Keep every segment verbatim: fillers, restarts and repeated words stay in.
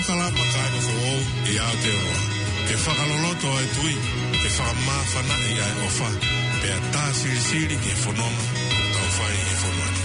Kalama kāinga foʻou ʻi Aotearoa. Ke fakaloloto ʻa e tui, ke fakamāfanaʻi ʻa e ʻofa, pea tā silisili ki he fononga ʻoku tau fai ʻi he fonua ni.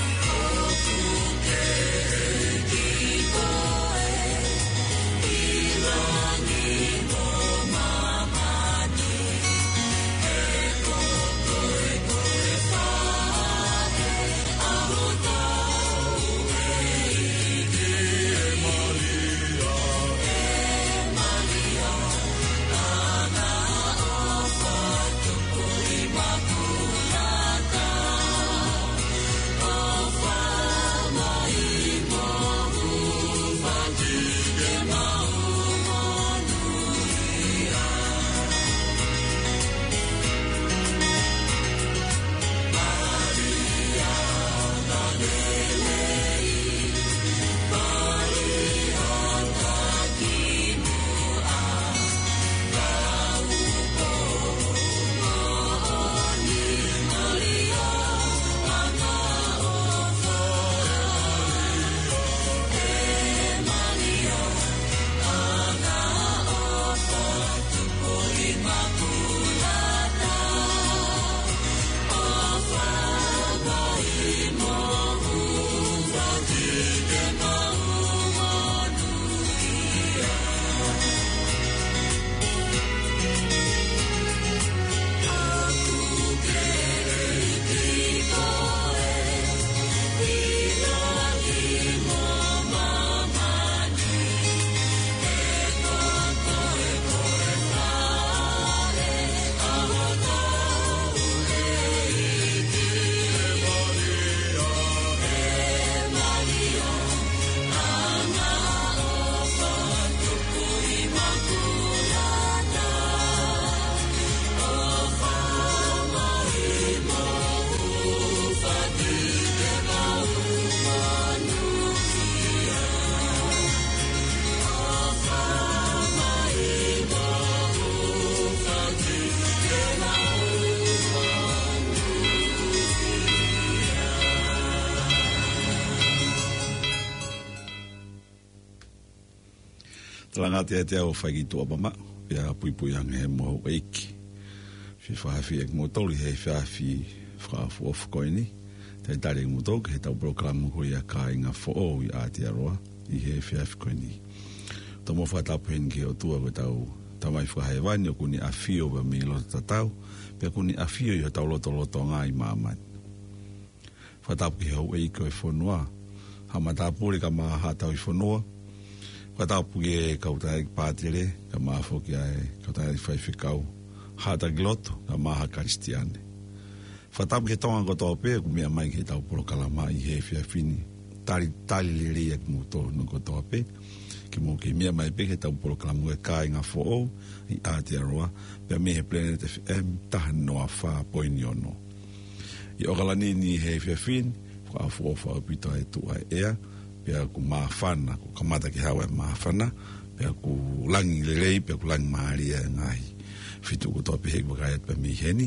Talangata ʻiate au ʻo fai ki tuʻa pama, pea puipui ange he mohu ʻeiki. Fie fakafeʻiloaki kimoutolu ʻi he efiafi fakaʻofoʻofa ko eni. Talitali kimoutolu ki heʻetau polokalama ko ia Kāinga Foʻou ʻi Aotearoa ʻi he efiafi ko eni. Tau mo fakatapu heni ki he ʻOtua ko ʻetau Tamai Fakahēvani ʻoku ne ʻafio pea mei loto tatau, pea ʻoku ne ʻafio ʻi hotau lotolotonga ʻi māmani. Fakatapu ki he houʻeiki ʻo e fonua, Haʻa Matāpule kae ʻumaʻā Haʻa Tauhi Fonua. Fakatapu ki he kau taʻahine pātele, kae ʻumaʻā foki ʻa e kau taʻahine faifekau, Haʻa Taki Lotu, kae ʻumaʻā Haʻa Kalisitiane. Fakatapu ki he Tonga kotoa pē ʻoku meʻa mai ki heʻetau polokalama ʻi he efiafi ni. Talitali lelei ʻa kimoutolu kotoa pē, ke mou kei meʻa mai pē ki heʻetau polokalama ko e Kāinga Foʻou ʻi Aotearoa, pea mei he Planet F M taha noa fā poini ono. ʻI ʻAokalani ni he efiafi ni, fakaʻofoʻofa ʻaupito ʻa e tuʻu ʻa e ʻea, pea ʻoku māfana, kuo kamata ke haʻu ʻa e māfana, pea ʻoku langi lelei, pea ʻoku langi mālie ʻa e ngaahi feituʻu kotoa pē heʻeku vakai atu pea mei heni,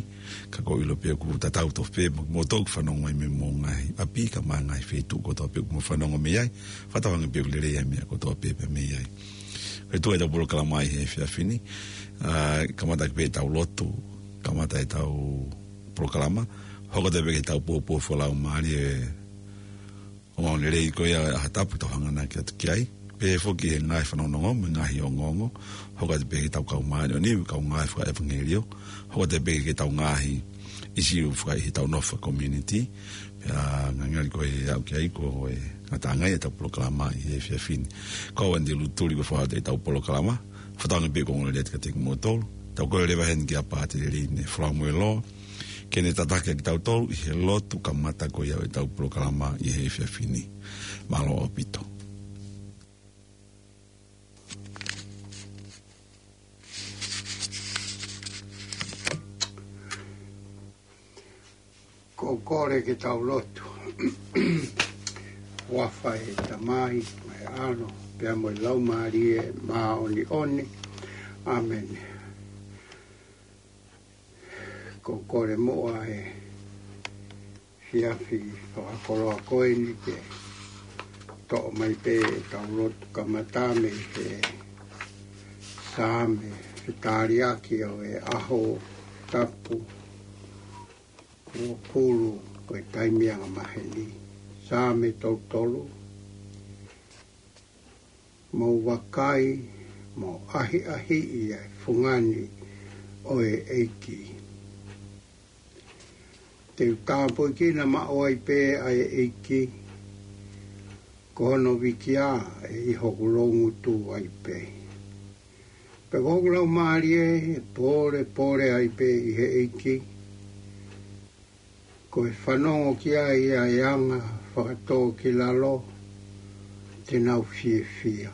ka ʻoku ou ʻilo pē ʻoku tatau tofu pē mo kimoutolu ʻoku fanongo mai mei homou ngaahi ʻapi, kae ʻumaʻā e ngaahi feituʻu kotoa pē ʻoku mou fanongo mei ai, fakatauange pē ʻoku lelei ʻa e meʻa kotoa pē pea mei ai. Ko e tuʻu ʻetau polokalama ʻi he efiafi ni, ʻa, kamata pē ʻetau lotu, kamata ʻetau polokalama, hoko atu pē ki heʻetau poupou fakalaumālie ʻo e ongoongo lelei ko ia ʻa e ʻaho tapu ʻoku tau hanganaki atu ki ai. Pehē foki ki he ngaahi fanongonongo mo e ngaahi ongoongo, hoko atu pē ki heʻetau kau māʻoniʻoni, kau ngāue fakaʻevangeliō, hoko atu pē ki heʻetau ngaahi ʻīsiu fakaʻi heʻetau nofo faka-community, pea ngali ko e aʻu ki ai ko e ngataʻanga ia ʻetau polokalama ʻi he efiafi ni. Ko au Andy Lutuli ko e foha ʻetau polokalama, fakatauange pē ʻoku ongo lelei atu kiate kimoutolu. Tau kole leva heni kia Pātele Line Falamuelo, ke ne tataki ʻa kitautolu ʻi he lotu kamata ko ia ʻetau polokalama ʻi he efiafi ni. Mālō ʻaupito. Ko e kole ke tau lotu. Huafa ʻo e Tamai, mo e ʻAlo, pea mo e Laumālie Māʻoniʻoni. ʻĀmeni. Ko e kole muʻa he efiafi fakakoloa ko eni ke toʻo mai pē ʻetau lotu kamata mei he Saame, fetaliaki ʻo e ʻaho tapu kuo pulu ko e taimi angamaheni. Saame tolu tolu. Mou vakai, mou ʻahiʻahiʻi ʻa e fungani ʻo e ʻEiki. Te u tāpuekina maʻu ai pē ʻa e ʻEiki, ko hono vikia ʻe ʻi hoku loungutu ai pē. Pea ko hoku laumālie ʻe pōlepole ai pē ʻi he ʻEiki, ko e fanongo ki ai ʻa e anga fakatōkilalo te nau fiefia.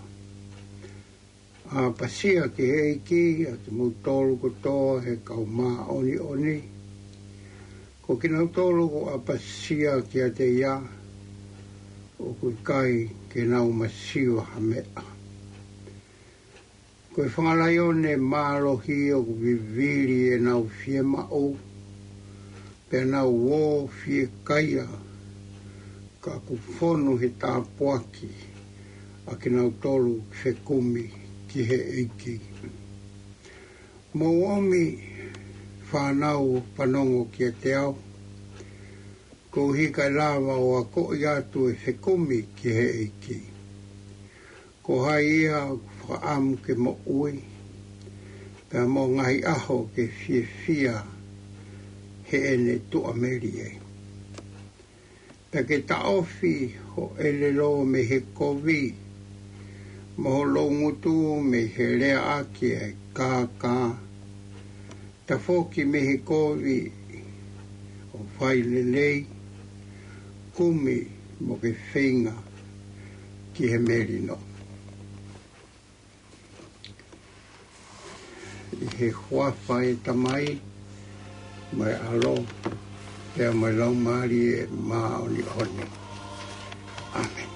ʻApasia ki he ʻEiki ʻa kimoutolu kotoa ʻe he kau māʻoniʻoni. Ko kinautolu ʻoku ʻapasia kiate ia, ʻoku ʻikai ke nau masiva ha meʻa. Ko e fanga laione mālohi ʻoku vivili ʻenau fiemaʻu, pea nau ō fiekaia, ka ʻoku fonu he tāpuaki ʻa kinautolu ʻoku fekumi ki he ʻEiki. Mou ōmi, fānau, fanongo kiate au, koeʻuhi kae lava ʻo akoʻi atu e fekumi ki he ʻEiki. Ko hai ia ʻoku fakaʻamu ke moʻui, pea mo e ngaahi ʻaho ke fiefia heʻene tuʻamelie. Pea ke taʻofi ho ʻelelo mei he kovi, mo ho loungutu mei he leaʻaki ʻa e kākā. Tafoki mei he kovi ʻo fai lelei, kumi mo ke feinga ki he melino. ʻI he huafa ʻo e Tamai, mo e ʻAlo, pea mo e Laumālie Māʻoniʻoni. ʻĀmeni.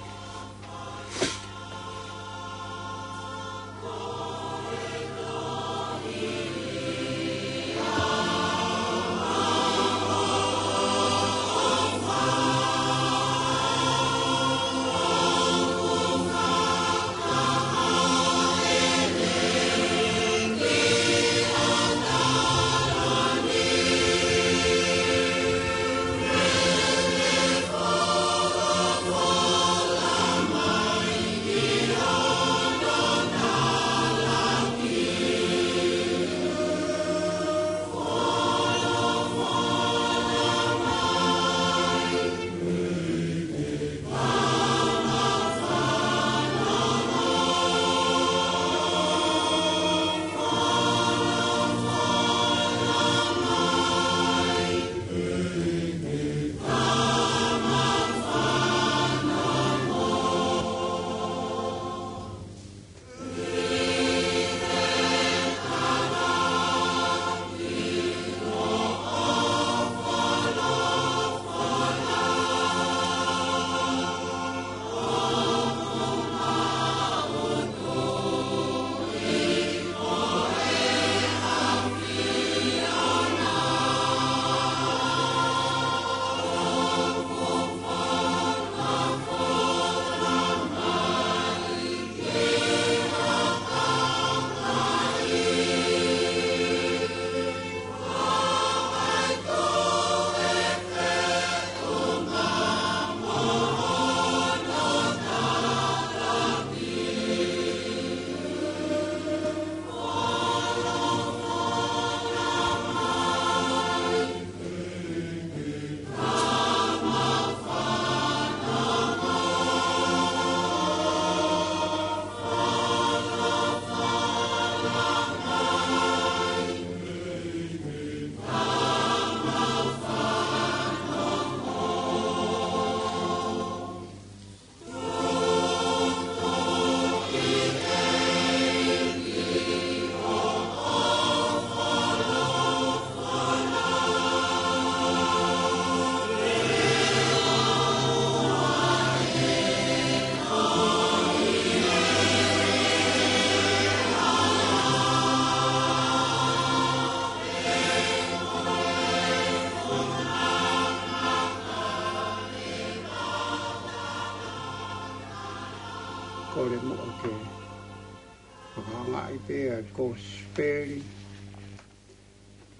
ʻAi pē ʻa e Kosipeli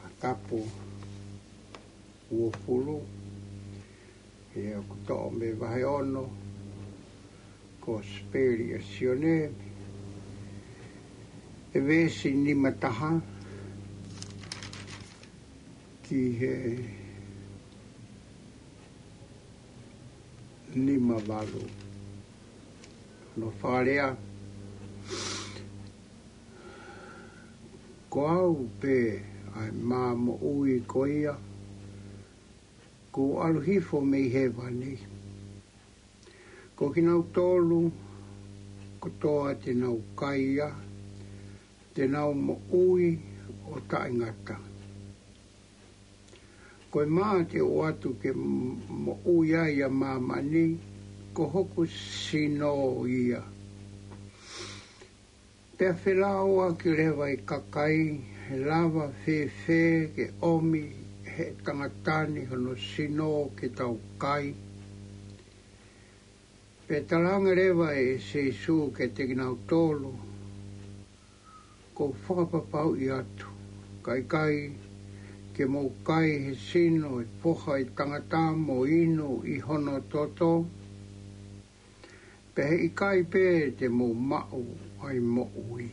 ʻa Tapu uofulu, ʻe ʻoku toʻo mei he vahe ono, Kosipeli ʻa Sione, ʻa e veesi nima taha ki he nima valu. Hono fakalea: Ko au pē ʻa e mā moʻui ko ia kuo ʻalu hifo mei hēvani. Ko kinautolu kotoa te nau kai ia, te nau moʻui ʻo taʻengata. Ko e mā te u ʻoatu ke m-, moʻui ai ʻa māmani, ko hoku sino ia. Pea felāuaki leva ʻa e kakai, ʻE lava fēfē ke ʻomi ʻe he tangata ni hono sino ke tau kai? Pea talaange leva ʻe Sīsū kiate kinautolu, Ko u fakapapauʻi atu, ka ʻikai ke mou kai he sino ʻo e Foha ʻo e Tangata mo inu ʻi hono toto, pea he ʻikai pē te mou maʻu ʻa e moʻui.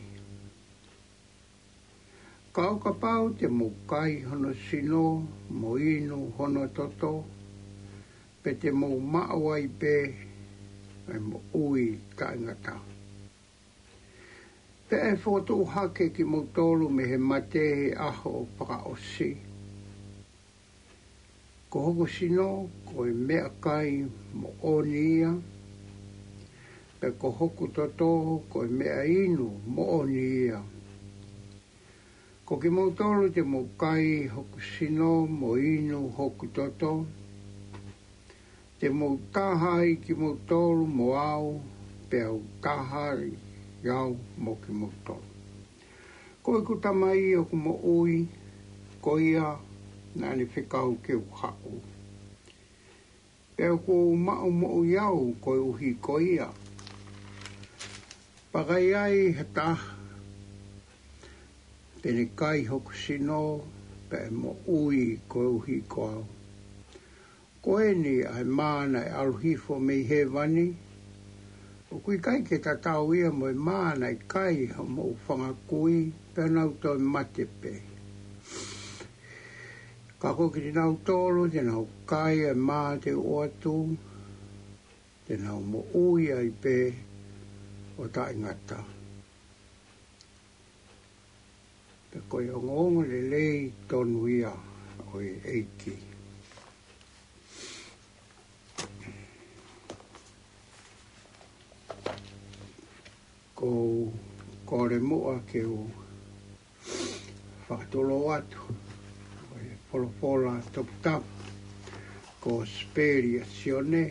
Ka ʻo kapau te mou kai hono sino mo inu hono toto, pea te mou maʻu ai pē ʻa e moʻui taʻengata. Pea ʻe fokotuʻu hake kimoutolu mei he mate he ʻaho fakaʻosi. Ko hoku sino ko e meʻakai moʻoni ia, pea ko hoku toto ko e meʻainu moʻoni ia. Ko kimoutolu te mou kai hoku sino mo inu hoku toto, te mou taha ai kimoutolu mo au, pea u taha ai au mo kimoutolu. Ko ʻeku Tamai ʻoku moʻui, ko ia naʻa ne fekau ke u haʻu. Pea ʻoku ou maʻu moʻui au koeʻuhi ko ia. Pea ka ʻi ai ha taha te ne kai hoku sino, pea ʻe moʻui koeʻuhi ko au. Ko eni ʻa e mā naʻe ʻalu hifo mei hēvani, ʻoku ʻikai ke tatau ia mo e mā naʻe kai hoʻomou fanga kui, pea nau toe mate pē. Ka ko kinautolu te nau kai ʻa e mā te u ʻoatu, te nau moʻui ai pē ʻo taʻengata. Pea ko e ongoongolelei tonu ia ʻo e ʻEiki. Ko u kole muʻa ke u fakatulou atu ʻa e folofola toputapu, Kosipeli ʻa Sione,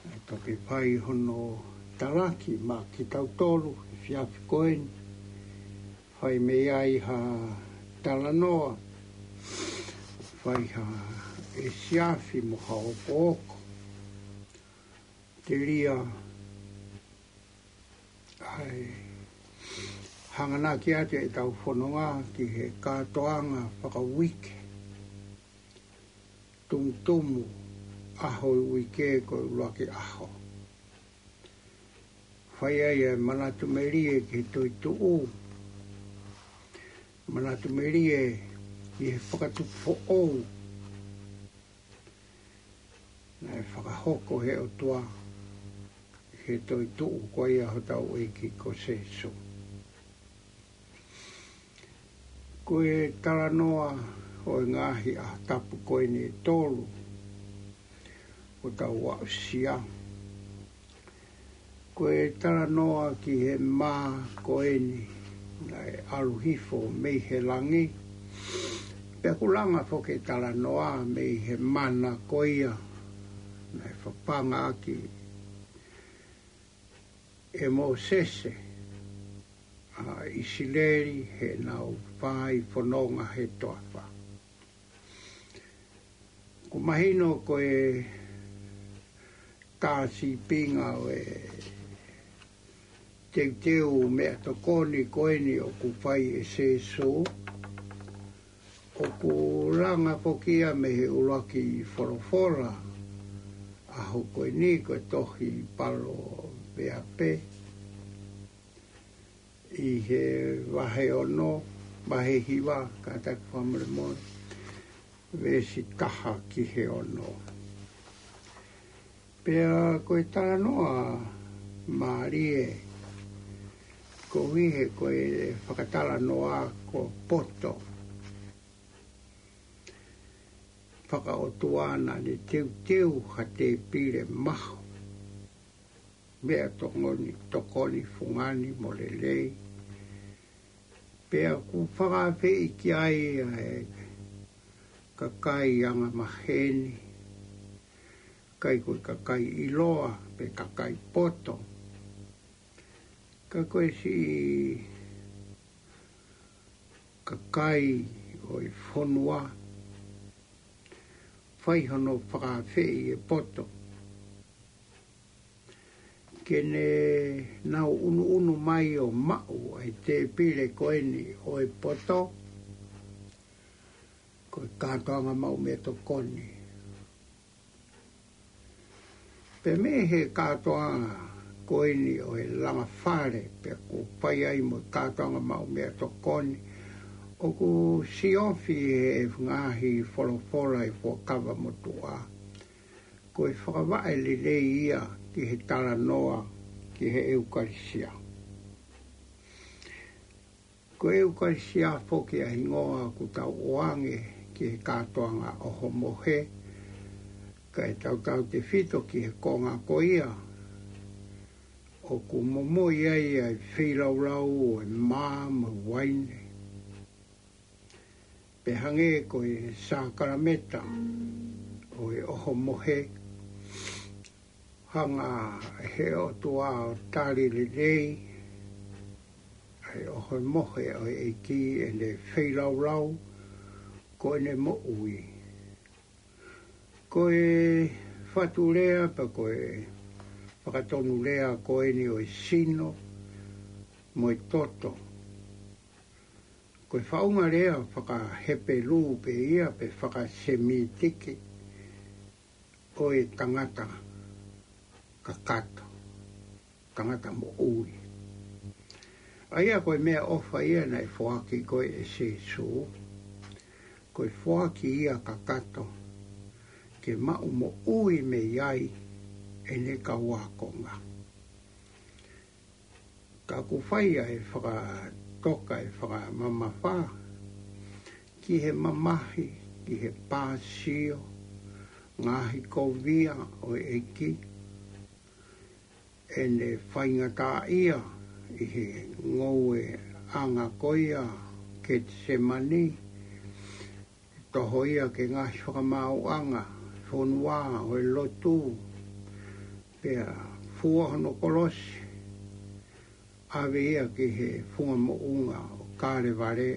ʻa ia ʻoku fai hono talaki maʻa kitautolu he efiafi ko eni. Fai mei ai ha talanoa, fai ha efiafi mo ha okooko. Telia ʻa e hanganaki atu ʻetau fononga ki he kātoanga fakauike. Tumutumu ʻaho ʻo e uike ko e ʻuluaki ʻaho. Fai ai ʻa e manatu melie ki he toetuʻu. Manatu melie ki he fakatupu foʻou naʻe fakahoko ʻe he ʻOtua ʻi he toetuʻu ko ia hotau ʻEiki ko Sīsū. Ko e talanoa ʻo e ngaahi ʻaho tapu ko eni ʻe tolu ʻoku tau aʻusia. Ko e talanoa ki he mā ko eni naʻe ʻalu hifo mei he langi. Pea ʻoku langa foki e talanoa mei he mana ko ia naʻe fapanga ʻaki ʻe Mōsese ʻa ʻIsileli heʻenau fai fononga he toafa. ʻOku mahino ko e tā sīpinga ʻo e teuteu meʻatokoni ko eni ʻoku fai ʻe Sēsū, ʻoku langa foki ia mei he ʻuluaki folofola ʻaho ko eni, ko e tohi Paloveape ʻi he vahe ono, vahe hiva, kātaki fakamolemole, veesi taha ki he ono. Pea ko e talanoa mālie koeʻuhi he ko e fakatalanoa ko poto fakaʻotua naʻa ne teuteu ha tēpile mahu, meʻatokoni, tokoni fungani mo lelei. Pea ʻoku fakaafeʻi ki ai ʻa e kakai angamaheni, ʻikai ko e kakai ʻiloa pe kakai poto, ka ko e siʻi kakai ʻo e fonua, fai hono fakaafeʻi e poto ke ne nau ʻunuʻunu mai ʻo maʻu ʻa e tēpile ko eni ʻo e poto, ko e kātoanga maʻu meʻatokoni. Pea mei he kātoanga ko eni ʻo e langa fale, pea ʻoku fai ai mo e kātoanga maʻu meʻatokoni, ʻoku siofi he ngaahi folofola ʻi he Fuakava Motuʻa ko e fakavaʻe lelei ia ki he talanoa ki he ʻEukalisia. Ko e ʻEukalisia foki ʻa e hingoa ʻoku tau ʻoange ki he kātoanga ʻohomohe, kae tautautefito ki he konga ko ia ʻoku momoi ai ʻa e feilaulau ʻo e mā mo e uaine. Pea hangē ko e sākalameta ʻo e ʻohomohe, hanga ʻe he ʻOtua ʻo tali lelei ʻa e ʻohomohe ʻo e ʻEiki ʻene feilaulau ko ʻene moʻui. Ko e fatu lea pe ko e fakatonulea ko eni ʻo e sino mo e toto, ko e faʻunga lea fakaHepelū pē ia pe fakaSemītiki ʻo e tangata kakato, tangata moʻui. ʻA ia ko e meʻaʻofa ia naʻe foaki ko ē ʻe Sēsū, ko e foaki ia kakato ke maʻu moʻui mei ai ʻene kau ākonga. Ka ʻoku fai ʻa e fakatoka ʻe fakamamafa ki he mamahi, ki he pāsio, ngaahi kovia ʻo e ʻEiki, ʻene faingataʻaʻia ʻi he ngoueʻanga ko ia Ketisemani, toho ia ki he ngaahi fakamaauʻanga fonua ʻo e lotu, pea fua hono kolosi, ʻave ia ki he funga moʻunga ʻo Kalevale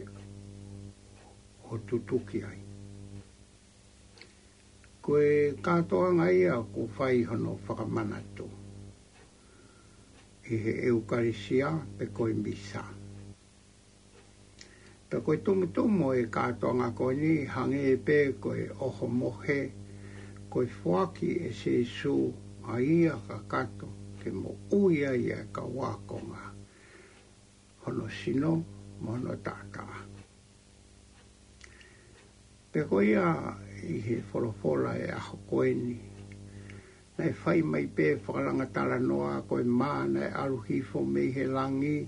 ʻo tutuki ai. Ko e kātoanga ia ʻoku fai hono fakamanatu ʻi he ʻEukalisia pe ko e Misa. Pea ko e tumutumu ʻo e kātoanga ko eni hangē pē ko e ʻohomohe, ko e foaki ʻe Sēsū ʻa ia kakato ke moʻui ai ʻa e kau ākonga, hono sino mo hono taʻataʻa. Pea ko ia ʻi he folofola ʻo e ʻaho ko eni, naʻe fai mai pē fakalanga talanoa ko e mā naʻe ʻalu hifo mei he langi.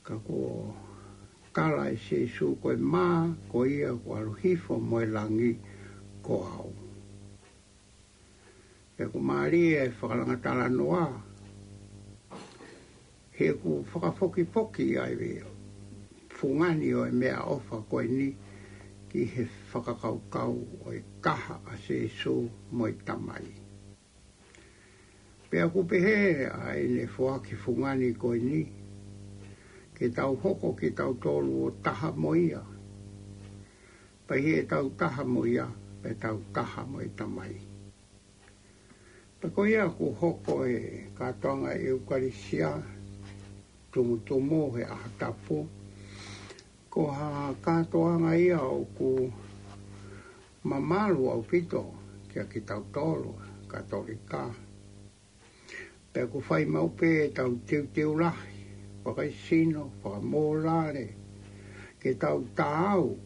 Ka kuo tala ʻe Sēsū ko e mā ko ia kuo ʻalu hifo mei he langi ko au. Pea ʻoku mālie e fakalanga talanoa, he ʻoku fakafokifoki ai e fungani ʻo e meʻaʻofa ko eni ki he fakakaukau ʻo e taha ʻa Sēsū mo e Tamai. Pea ʻoku pehē ʻa ʻene foaki fungani ko eni, ke tau hoko kitautolu ʻo taha mo ia. Pea ʻi heʻetau taha mo ia, pea tau taha mo e Tamai. Pea ko ia ʻoku hoko e kātoanga ʻEukalisia tumutumu he ʻaho tapu, ko ha kātoanga ia ʻoku mamalu ʻaupito kia kitautolu Katolika. Pea ʻoku fai maʻu pē ʻetau teuteu lahi, fakaesino, fakamōlale, ke tau taau,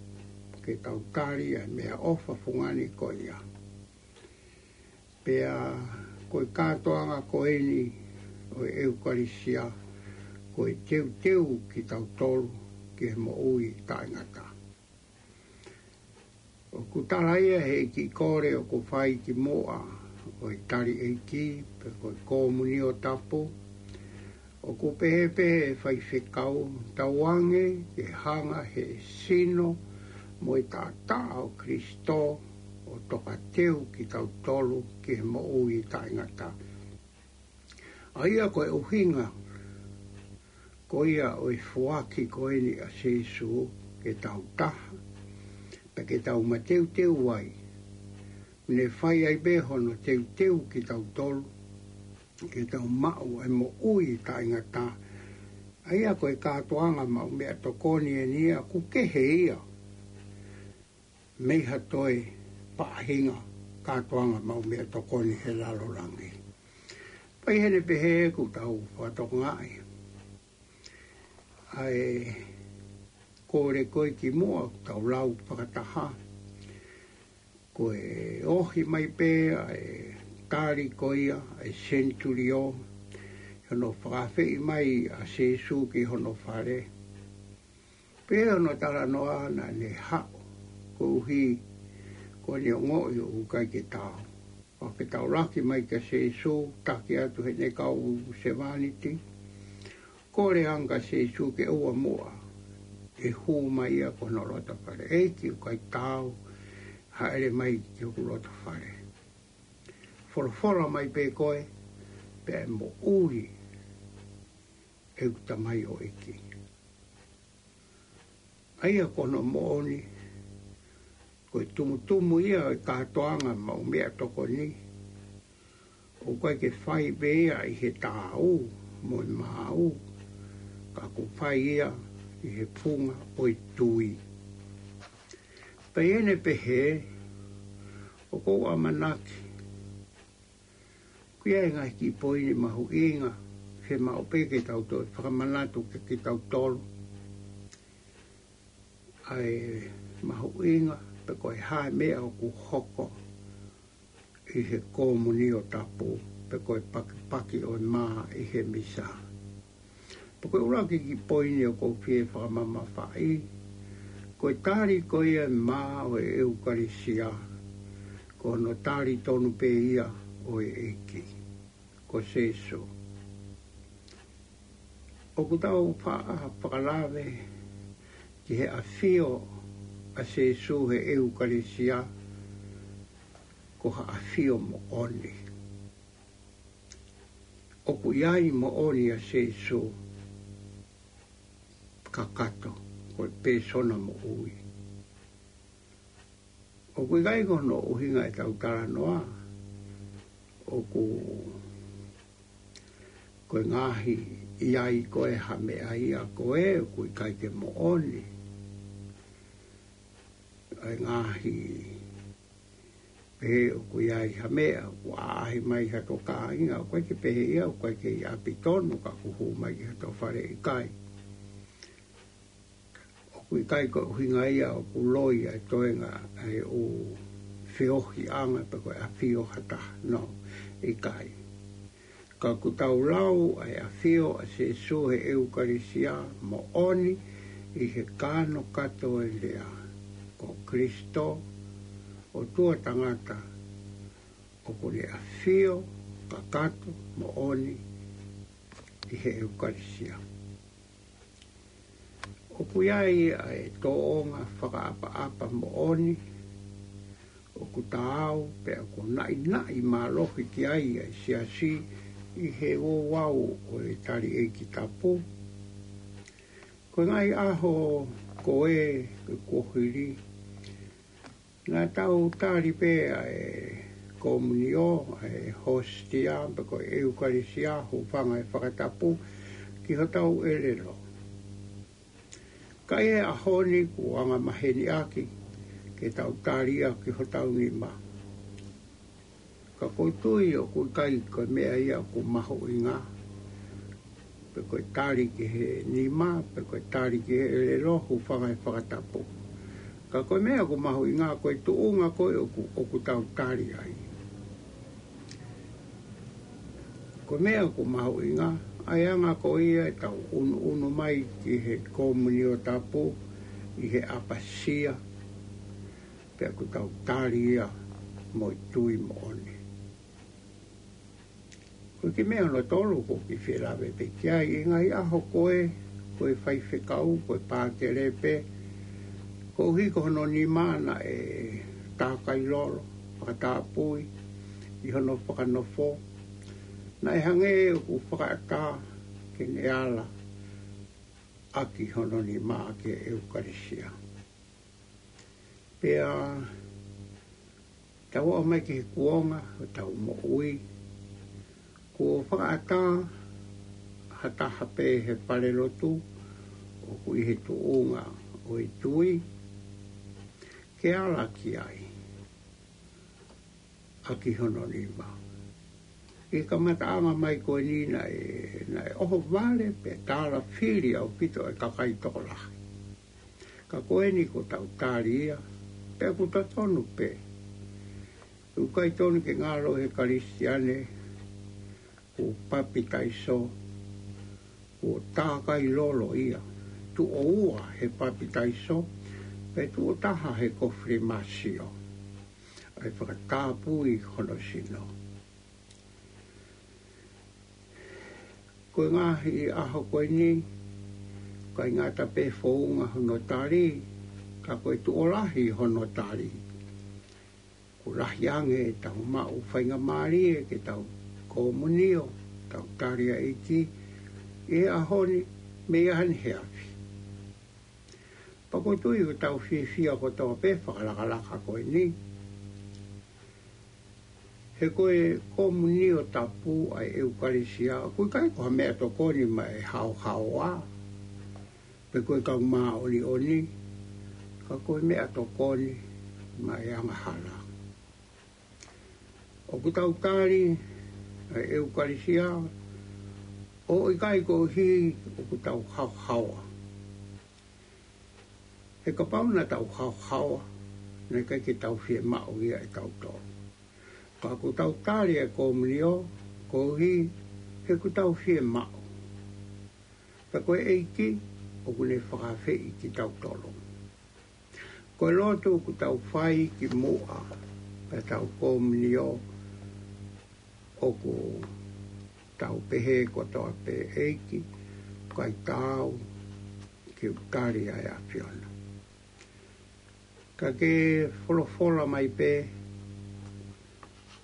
ke tau tali ʻa e meʻaʻofa fungani ko ia. Pea ko e kātoanga ko eni ʻo e ʻEukalisia, ko e teuteu kitautolu ki he moʻui taʻengata. ʻOku tala ia he ʻEiki kole ʻoku fai ki muʻa ʻo e tali ʻeiki, pe ko e komunio tapu, ʻoku pehē pē ʻe faifekau, tauange ke hanga he sino mo e taʻataʻa ʻo Kalaisi ʻo tokateu kitautolu ki he moʻui taʻengata. ʻA ia ko e ʻuhinga ko ia ʻo e foaki ko eni ʻa Sīsū ke tau taha, pea ke tau mateuteu ai, ne fai ai pē hono teuteu kitautolu ke tau maʻu ʻa e moʻui taʻengata. ʻA ia ko e kātoanga maʻu meʻatokoni eni ia, ʻoku kehe ia mei ha toe faʻahinga kātoanga maʻu meʻatokoni he lalo langi. Pea ʻi heʻene pehē ʻoku tau fakatokangaʻi ʻa e kole ko ē ki muʻa, ʻoku tau lau fakataha, ko e ohi mai pē ʻa e tali ko ia ʻa e senitulio, hono fakaafeʻi mai ʻa Sīsū ki hono fale. Pea ʻi hono talanoa naʻa ne haʻu, koeʻuhi ko ʻene ongoʻi ʻoku ʻikai ke taau. ʻO ke tau laki mai kia Sīsū, taki atu heʻene kau sevāniti, kole ange kia Sīsū ke ʻoua muʻa ʻe hū mai ia ki hono loto fale. ʻEiki, ʻoku ʻikai taau, hāʻele mai ki hoku loto fale. Folofola mai pē koe, pea ʻe moʻui ʻeku tamaioʻeiki. ʻA ia ko hono moʻoni, ko e tumutumu ia ʻo e kātoanga maʻu meʻatokoni, ʻoku ʻikai ke fai pē ia ʻi he taau mo e maau, ka ʻoku fai ia ʻi he funga ʻo e tui. Pea ʻi heʻene pehē, ʻoku ou ʻamanaki ko ia e ngaahi kiʻi poini mahuʻinga, ke maʻu pē ke tau toe fakamanatu kia kitautolu ʻa e mahuʻinga, pe ko e hā e meʻa ʻoku hoko ʻi he komunio tapu, pe ko e pakipaki ʻo e mā ʻi he misa. Pea ko e ʻuluaki kiʻi poini ʻoku ou fie fakamamafaʻi, ko e tali ko ia ʻa e mā ʻo e ʻEukalisia, ko hono tali tonu pē ia ʻo e ʻEiki, ko Sīsū. ʻOku tau faʻa fakalave ki he ʻafio ʻa Sīsū he ʻEukalisia, ko ha ʻafio moʻoni. ʻOku ʻi ai moʻoni ʻa Sīsū kakato, ko e pēsona moʻui. ʻOku ʻikai ko hono ʻuhinga ʻetau talanoa ʻoku ko e ngaahi ʻi ai ko ē ha meʻa ia ko ē ʻoku ʻikai ke moʻoni. ʻA e ngaahi pehē ʻoku ʻi ai ha meʻa, ʻoku ʻaʻahi mai ha tō kāinga, ʻoku ʻikai ke pehē ia, ʻoku ʻikai ke ʻi ʻapi tonu ka ʻoku hū mai ki ha tō fale, ʻikai. ʻOku ʻikai ko e ʻuhinga ia ʻoku loi ʻa e toenga ʻa e ʻū feohiʻanga pe ko e ʻafio ha taha, no, ʻikai. Ka ʻoku tau lau ʻa e ʻafio ʻa Sīsū he ʻEukalisia moʻoni ʻi he kanokato ʻo e lea, ko Kalaisi, ʻOtua tangata, ʻoku ne ʻafio kakato moʻoni ʻi he ʻEukalisia. ʻOku ʻi ai ʻa e tōʻonga fakaʻapaʻapa moʻoni ʻoku taau pea ʻoku naʻinaʻi mālohi ki ai ʻa e siasi ʻi he ouau ʻo e tali ʻeiki tapu. Ko e ngaahi ʻaho ko ē kuo hili, naʻa tau tali pē ʻa e komunio, ʻa e hostia, pe ko e ʻeukalisia, hūfanga he fakatapu, ki hotau ʻelelo. Ka ʻi he ʻaho ni kuo angamaheni ʻaki ke tau tali ia ki hotau nima. Ka ʻoku ou tui ʻoku ʻikai ko e meʻa ia ʻoku mahuʻinga, pe ko e tali ki he nima, pe ko e tali ki he ʻelelo, hūfanga he fakatapu. Ka ko e meʻa ʻoku mahuʻinga ko e tuʻunga ko ē ʻoku, ʻoku tau tali ai. Ko e meʻa ʻoku mahuʻinga, ʻa e anga ko ia ʻetau ʻunuʻunu mai ki he komunio tapu ʻi he ʻapasia, pea ʻoku tau tali ia mo e tui moʻoni. Ko e kiʻi meʻa hono tolu ʻoku ou kiʻi fie lave pē ki ai, ʻi he ngaahi ʻaho ko ē, ko e faifekau, ko e pātele pē, koeʻuhi ko hono nima naʻe tākai lolo, fakatapui ʻi hono fakanofo, naʻe hangē ʻoku fakaʻatā ke ne ala ʻaki hono nima ʻaki e ʻeukalisia. Pea tau aʻu mai ki he kuonga ʻo ʻetau moʻui, kuo fakaʻatā ha taha pē he falelotu ʻoku ʻi he tuʻunga ʻo e tui, ke ala ki ai ʻaki hono nima. ʻI he kamataʻanga mai ko eni naʻe, naʻe ʻohovale pea tālafili ʻaupito e kakai tokolahi. Ka ko eni kuo tau tali ia, pea ʻoku totonu pē. ʻOku ʻikai tonu ke ngalo he Kalisitiane kuo papitaiso, kuo tākai lolo ia, tuʻo ua he papitaiso, pea tuʻo taha he kofilimasio, ʻa e fakatapui hono sino. Ko e ngaahi ʻaho ko eni, ʻikai ngata pē founga hono tali, ka ko e tuʻo lahi hono tali. Kuo lahi ange ʻetau maʻu faingamālie ke tau komunio, tau tali ʻa e ʻEiki, ʻi he ʻaho ni, mei ʻaho ni he afi. Pea ʻoku ou tui ʻoku tau fiefia kotoa pē he fakalakalaka ko eni. He ko e komunio tapu ʻa e ʻeukalisia, ʻoku ʻikai ko ha meʻatokoni maʻa e haohaoa, pe ko e kau māʻoniʻoni, ka ko e meʻatokoni maʻa e angahala. ʻOku tau tali ʻa e ʻeukalisia, ʻo ʻikai koeʻuhi ʻoku tau haohaoa. He kapau naʻa tau haohaoa, naʻe ʻikai ke tau fiemaʻu ia ʻe tautolu. Ka ʻoku tau tali e komunio, koeʻuhi he ʻoku tau fiemaʻu. Pea ko e ʻEiki, ʻoku ne fakaafeʻi kitautolu. Ko e lotu ʻoku tau fai ki muʻa, pea tau komunio, ʻoku tau pehē kotoa pē, ʻEiki, ʻikai taau ke u tali ʻa e ʻAfiona. Ka ke folofola mai pē,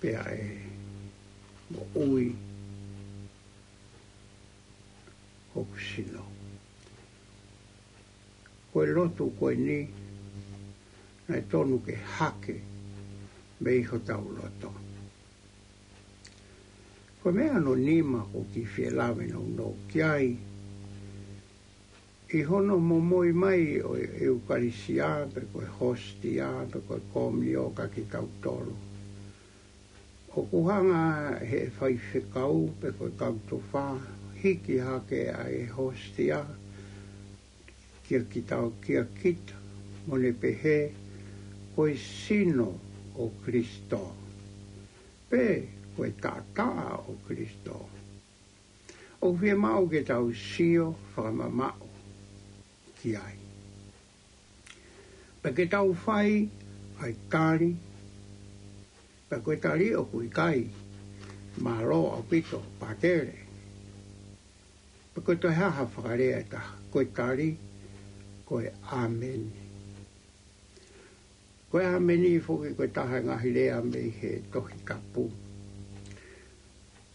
pea ʻe moʻui hoku sino. Ko e lotu ko eni, naʻe tonu ke hake mei hotau loto. Ko e meʻa hono nima ʻoku ou kiʻi fie lave nounou ki ai, ʻi hono momoi mai ʻo e ʻeukalisia, pe ko e hostia, pe ko e komunio kiate kitautolu. ʻOku hanga ʻe he faifekau, pe ko e kau tofa, hiki hake ʻa e hostia, kia kitau, kia kita, mo ne pehē, ko e sino ʻo Kalaisi. Pe ko e taʻataʻa ʻo Kalaisi. ʻOku fiemaʻu ke tau sio fakamamaʻu ki ai. Pea ke tau fai ʻa e tali, pea ko e tali ʻoku ʻikai, mālō ʻaupito, pātele. Pea ko e toe hā ha fakalea ʻe taha, ko e tali, ko e ʻāmeni. Ko e ʻāmeni foki ko e taha e ngaahi lea mei he Tohi Tapu.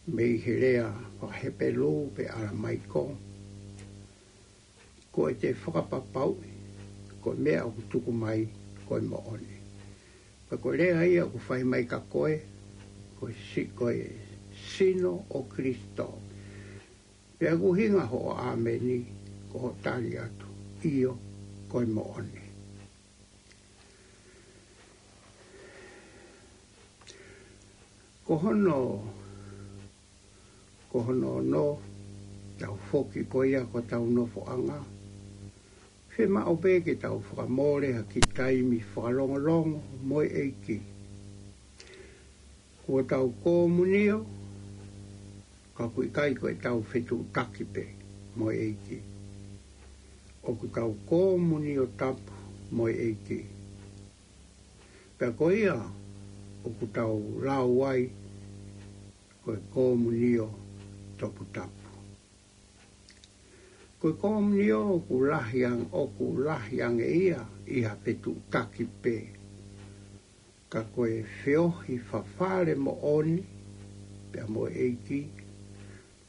Mei he lea faka-Hepelū pe ʻAlamaiko. Ko e te fakapapauʻi, ko e meʻa ʻoku tuku mai, ko e moʻoni. Pea ko e lea ia ʻoku fai mai kia koe, ko e si-, ko e sino ʻo Kalaisi. Pea ʻoku ʻuhinga hoʻo ʻāmeni, ko hoʻo tali atu, ʻio, ko e moʻoni. Ko hono, ko hono ono, tau foki ko ia ki hotau nofoʻanga. Fiemaʻu pē ke tau fakamole ha kiʻi taimi fakalongolongo mo e ʻEiki. Kuo tau komunio, ka ʻoku ʻikai ko ʻetau fetuʻutaki pē mo e ʻEiki. ʻOku tau komunio tapu mo e ʻEiki. Pea ko ia ʻoku tau lau ai ko e komunio toputapu. Ko e komunio ʻoku lahi ang-, ʻoku lahi ange ia ʻi ha fetuʻutaki pē. Ka ko e feohi fafale moʻoni, pea mo e ʻEiki,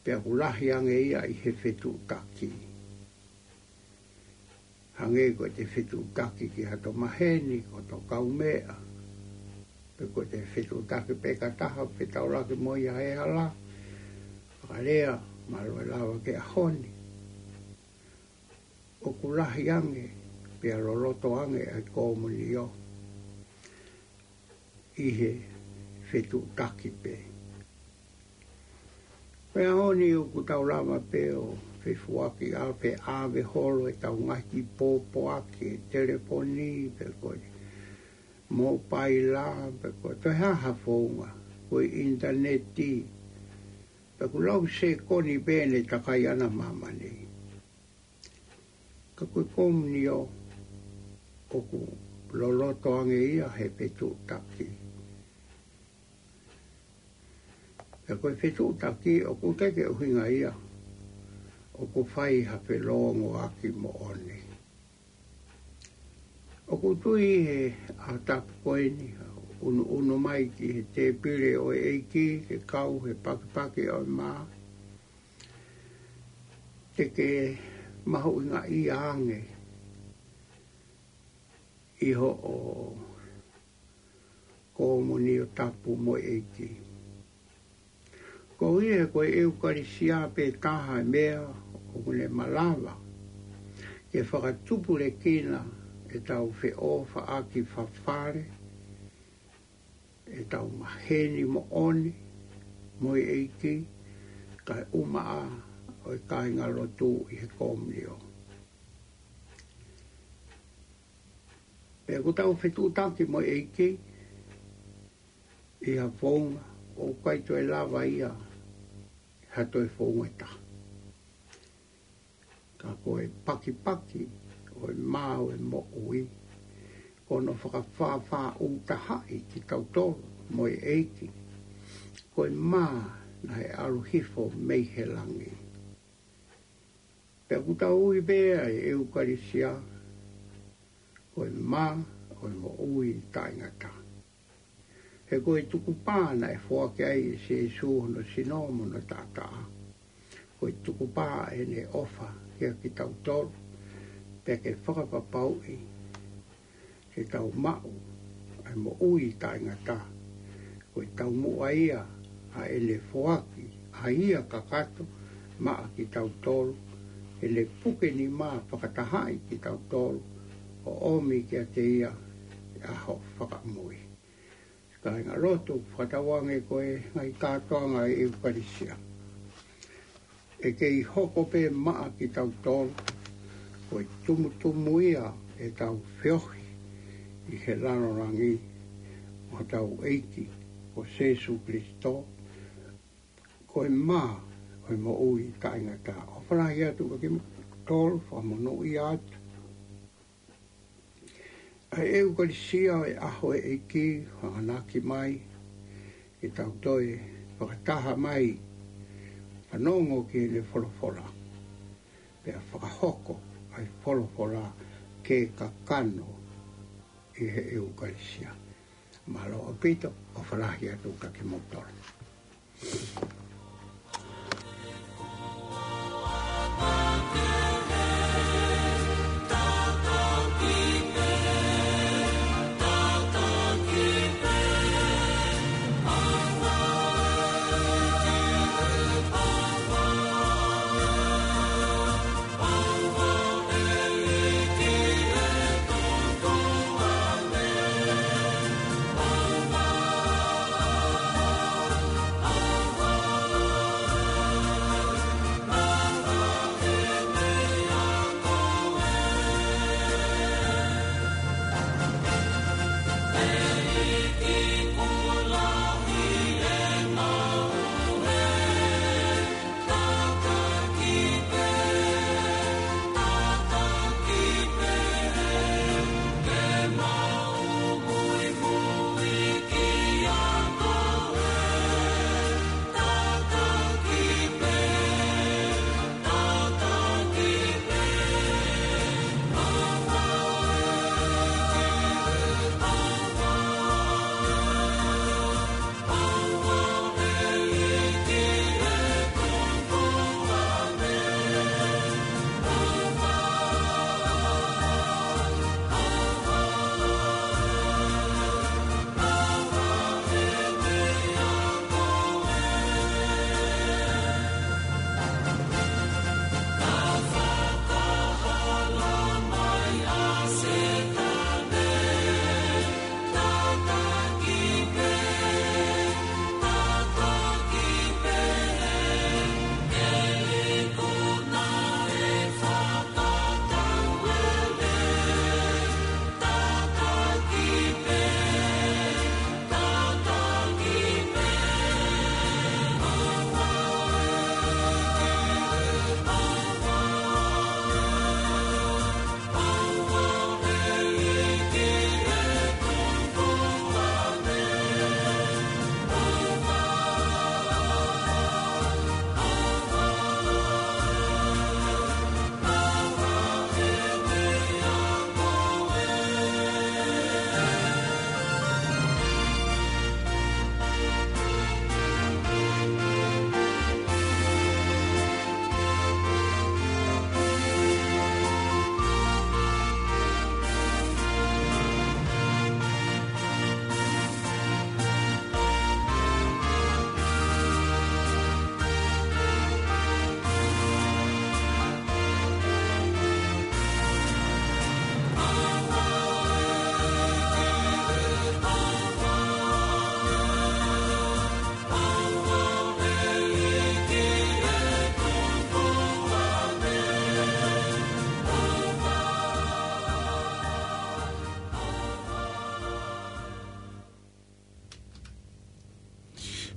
pea ʻoku lahi ange ia ʻi he fetuʻutaki. Hangē ko ʻete fetuʻutaki ki hato maheni, ko hoto kaumeʻa. Pe ko ʻete fetuʻutaki pē ka taha, fetaulaki mo ia he hala. Fakalea, mālō e lava ki he ʻaho ni. ʻOku lahi ange, pea loloto ange ʻa e komunio ʻi he fetuʻutaki pē. Pea ʻaho ni ʻoku tau lava pē ʻo fefuaki ʻa pē ʻave holo ʻetau ngaahi kiʻi pōpoaki, telefoni, pe ko e mōpaila, pe ko e toe hā ha founga, ko e ʻinitaneti, pe ʻoku lau sekoni pē ʻene takai ʻana māmani. Ka ko e komunio ʻoku loloto ange ia he fetuʻutaki. Pea ko e fetuʻutaki ʻoku ʻikai ke ʻuhinga ia ʻoku fai ha felōngoaki moʻoni. ʻOku ou tui he ʻaho tapu ko eni, ʻunuʻunu mai ki he tēpile ʻo e ʻEiki, ke kau he pakipaki ʻo e mā. Te ke mahuʻingaʻia ange ʻi hoʻo komunio tapu mo e ʻEiki. Koeʻuhi he ko e ʻEukalisia pē taha e meʻa ʻoku ne malava ke fakatupulekina ʻetau feʻofaʻaki fafale, ʻetau maheni moʻoni mo e ʻEiki, kae ʻumaʻā ʻa e kāingalotu ʻi he komunio. Pea ʻoku tau fetuʻutaki mo e ʻEiki ʻi ha founga ʻoku ʻikai toe lava ia ha toe founga ʻe taha. Ka ko e pakipaki ʻo e mā ʻo e moʻui, ko hono fakafāfāʻūtahaʻi kitautolu mo e ʻEiki. Ko e mā naʻe ʻalu hifo mei he langi. Pea ʻoku tau ui pē ʻa e ʻEukalisia ko e mā ʻo e moʻui taʻengata. He ko e tukupā naʻe foaki ai ʻe Sīsū hono sino mo hono taʻataʻa. Ko e tukupā ʻene ʻofa kiate kitautolu, pea ke fakapapauʻi ke tau maʻu ʻa e moʻui taʻengata. Ko e taumuʻa ia ʻa ʻene foaki ʻa ia kakato maʻa kitautolu, ʻene puke nima fakatahaʻi kitautolu, ʻo ʻomi kiate ia ʻi he ʻaho fakamui. Kāingalotu, fakatauange ko e ngaahi kātoanga ʻo e ʻEukalisia ʻe kei hoko pē maʻa kitautolu, ko e tumutumu ia ʻetau feohi ʻi he lalo langi mo hotau ʻEiki ko Sīsū Kalaisi, ko e mā ʻo e moʻui taʻengata. ʻOfa lahi atu kiate kimoutolu, fakamonūʻia atu. ʻA e ʻEukalisia ʻo e ʻaho ʻo e ʻEiki, hanganaki mai ke tau toe fakataha mai, fanongo ki heʻene folofola, pea fakahoko ʻa e folofola ke kakano ʻi he ʻEukalisia. Mālō ʻaupito, ʻofa lahi atu kiate kimoutolu.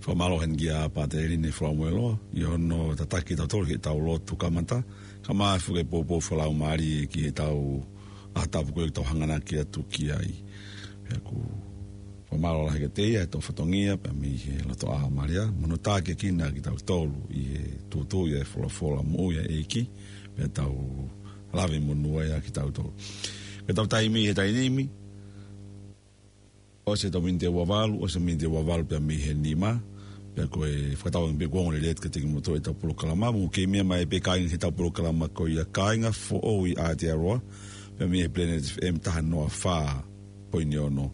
Fakamālō heni kia Pātele Line Falamoeloa, ʻi hono tataki kitautolu ki heʻetau lotu kamata, kae ʻumaʻā foki e poupou fakalaumālie ki heʻetau ʻaho tapu ko ē ʻoku tau hanganaki atu ki ai. Pea ʻoku fakamālō lahi kiate ia, ʻi he fatongia, pea mei he loto ʻā mālie, mo hono tākiekina kitautolu, ʻi he tuʻutuʻuni ʻa e folofola moʻui ʻa e ʻEiki, pea tau lave monū ai ʻa kitautolu. Ko ʻetau taimi he taimi ni, ʻosi ʻetau miniti ʻe ua valu, ʻosi ʻetau miniti ʻe ua valu pea mei he nima, pea ko e fakatauange pē kuo ongo lelei atu kiate kimoutolu ʻetau polokalama, mou kei meʻa mai pē kāinga ki heʻetau polokalama ko ia Kāinga Foʻou ʻi Aotearoa, pea mei he Planet F M taha noa fā poini ono.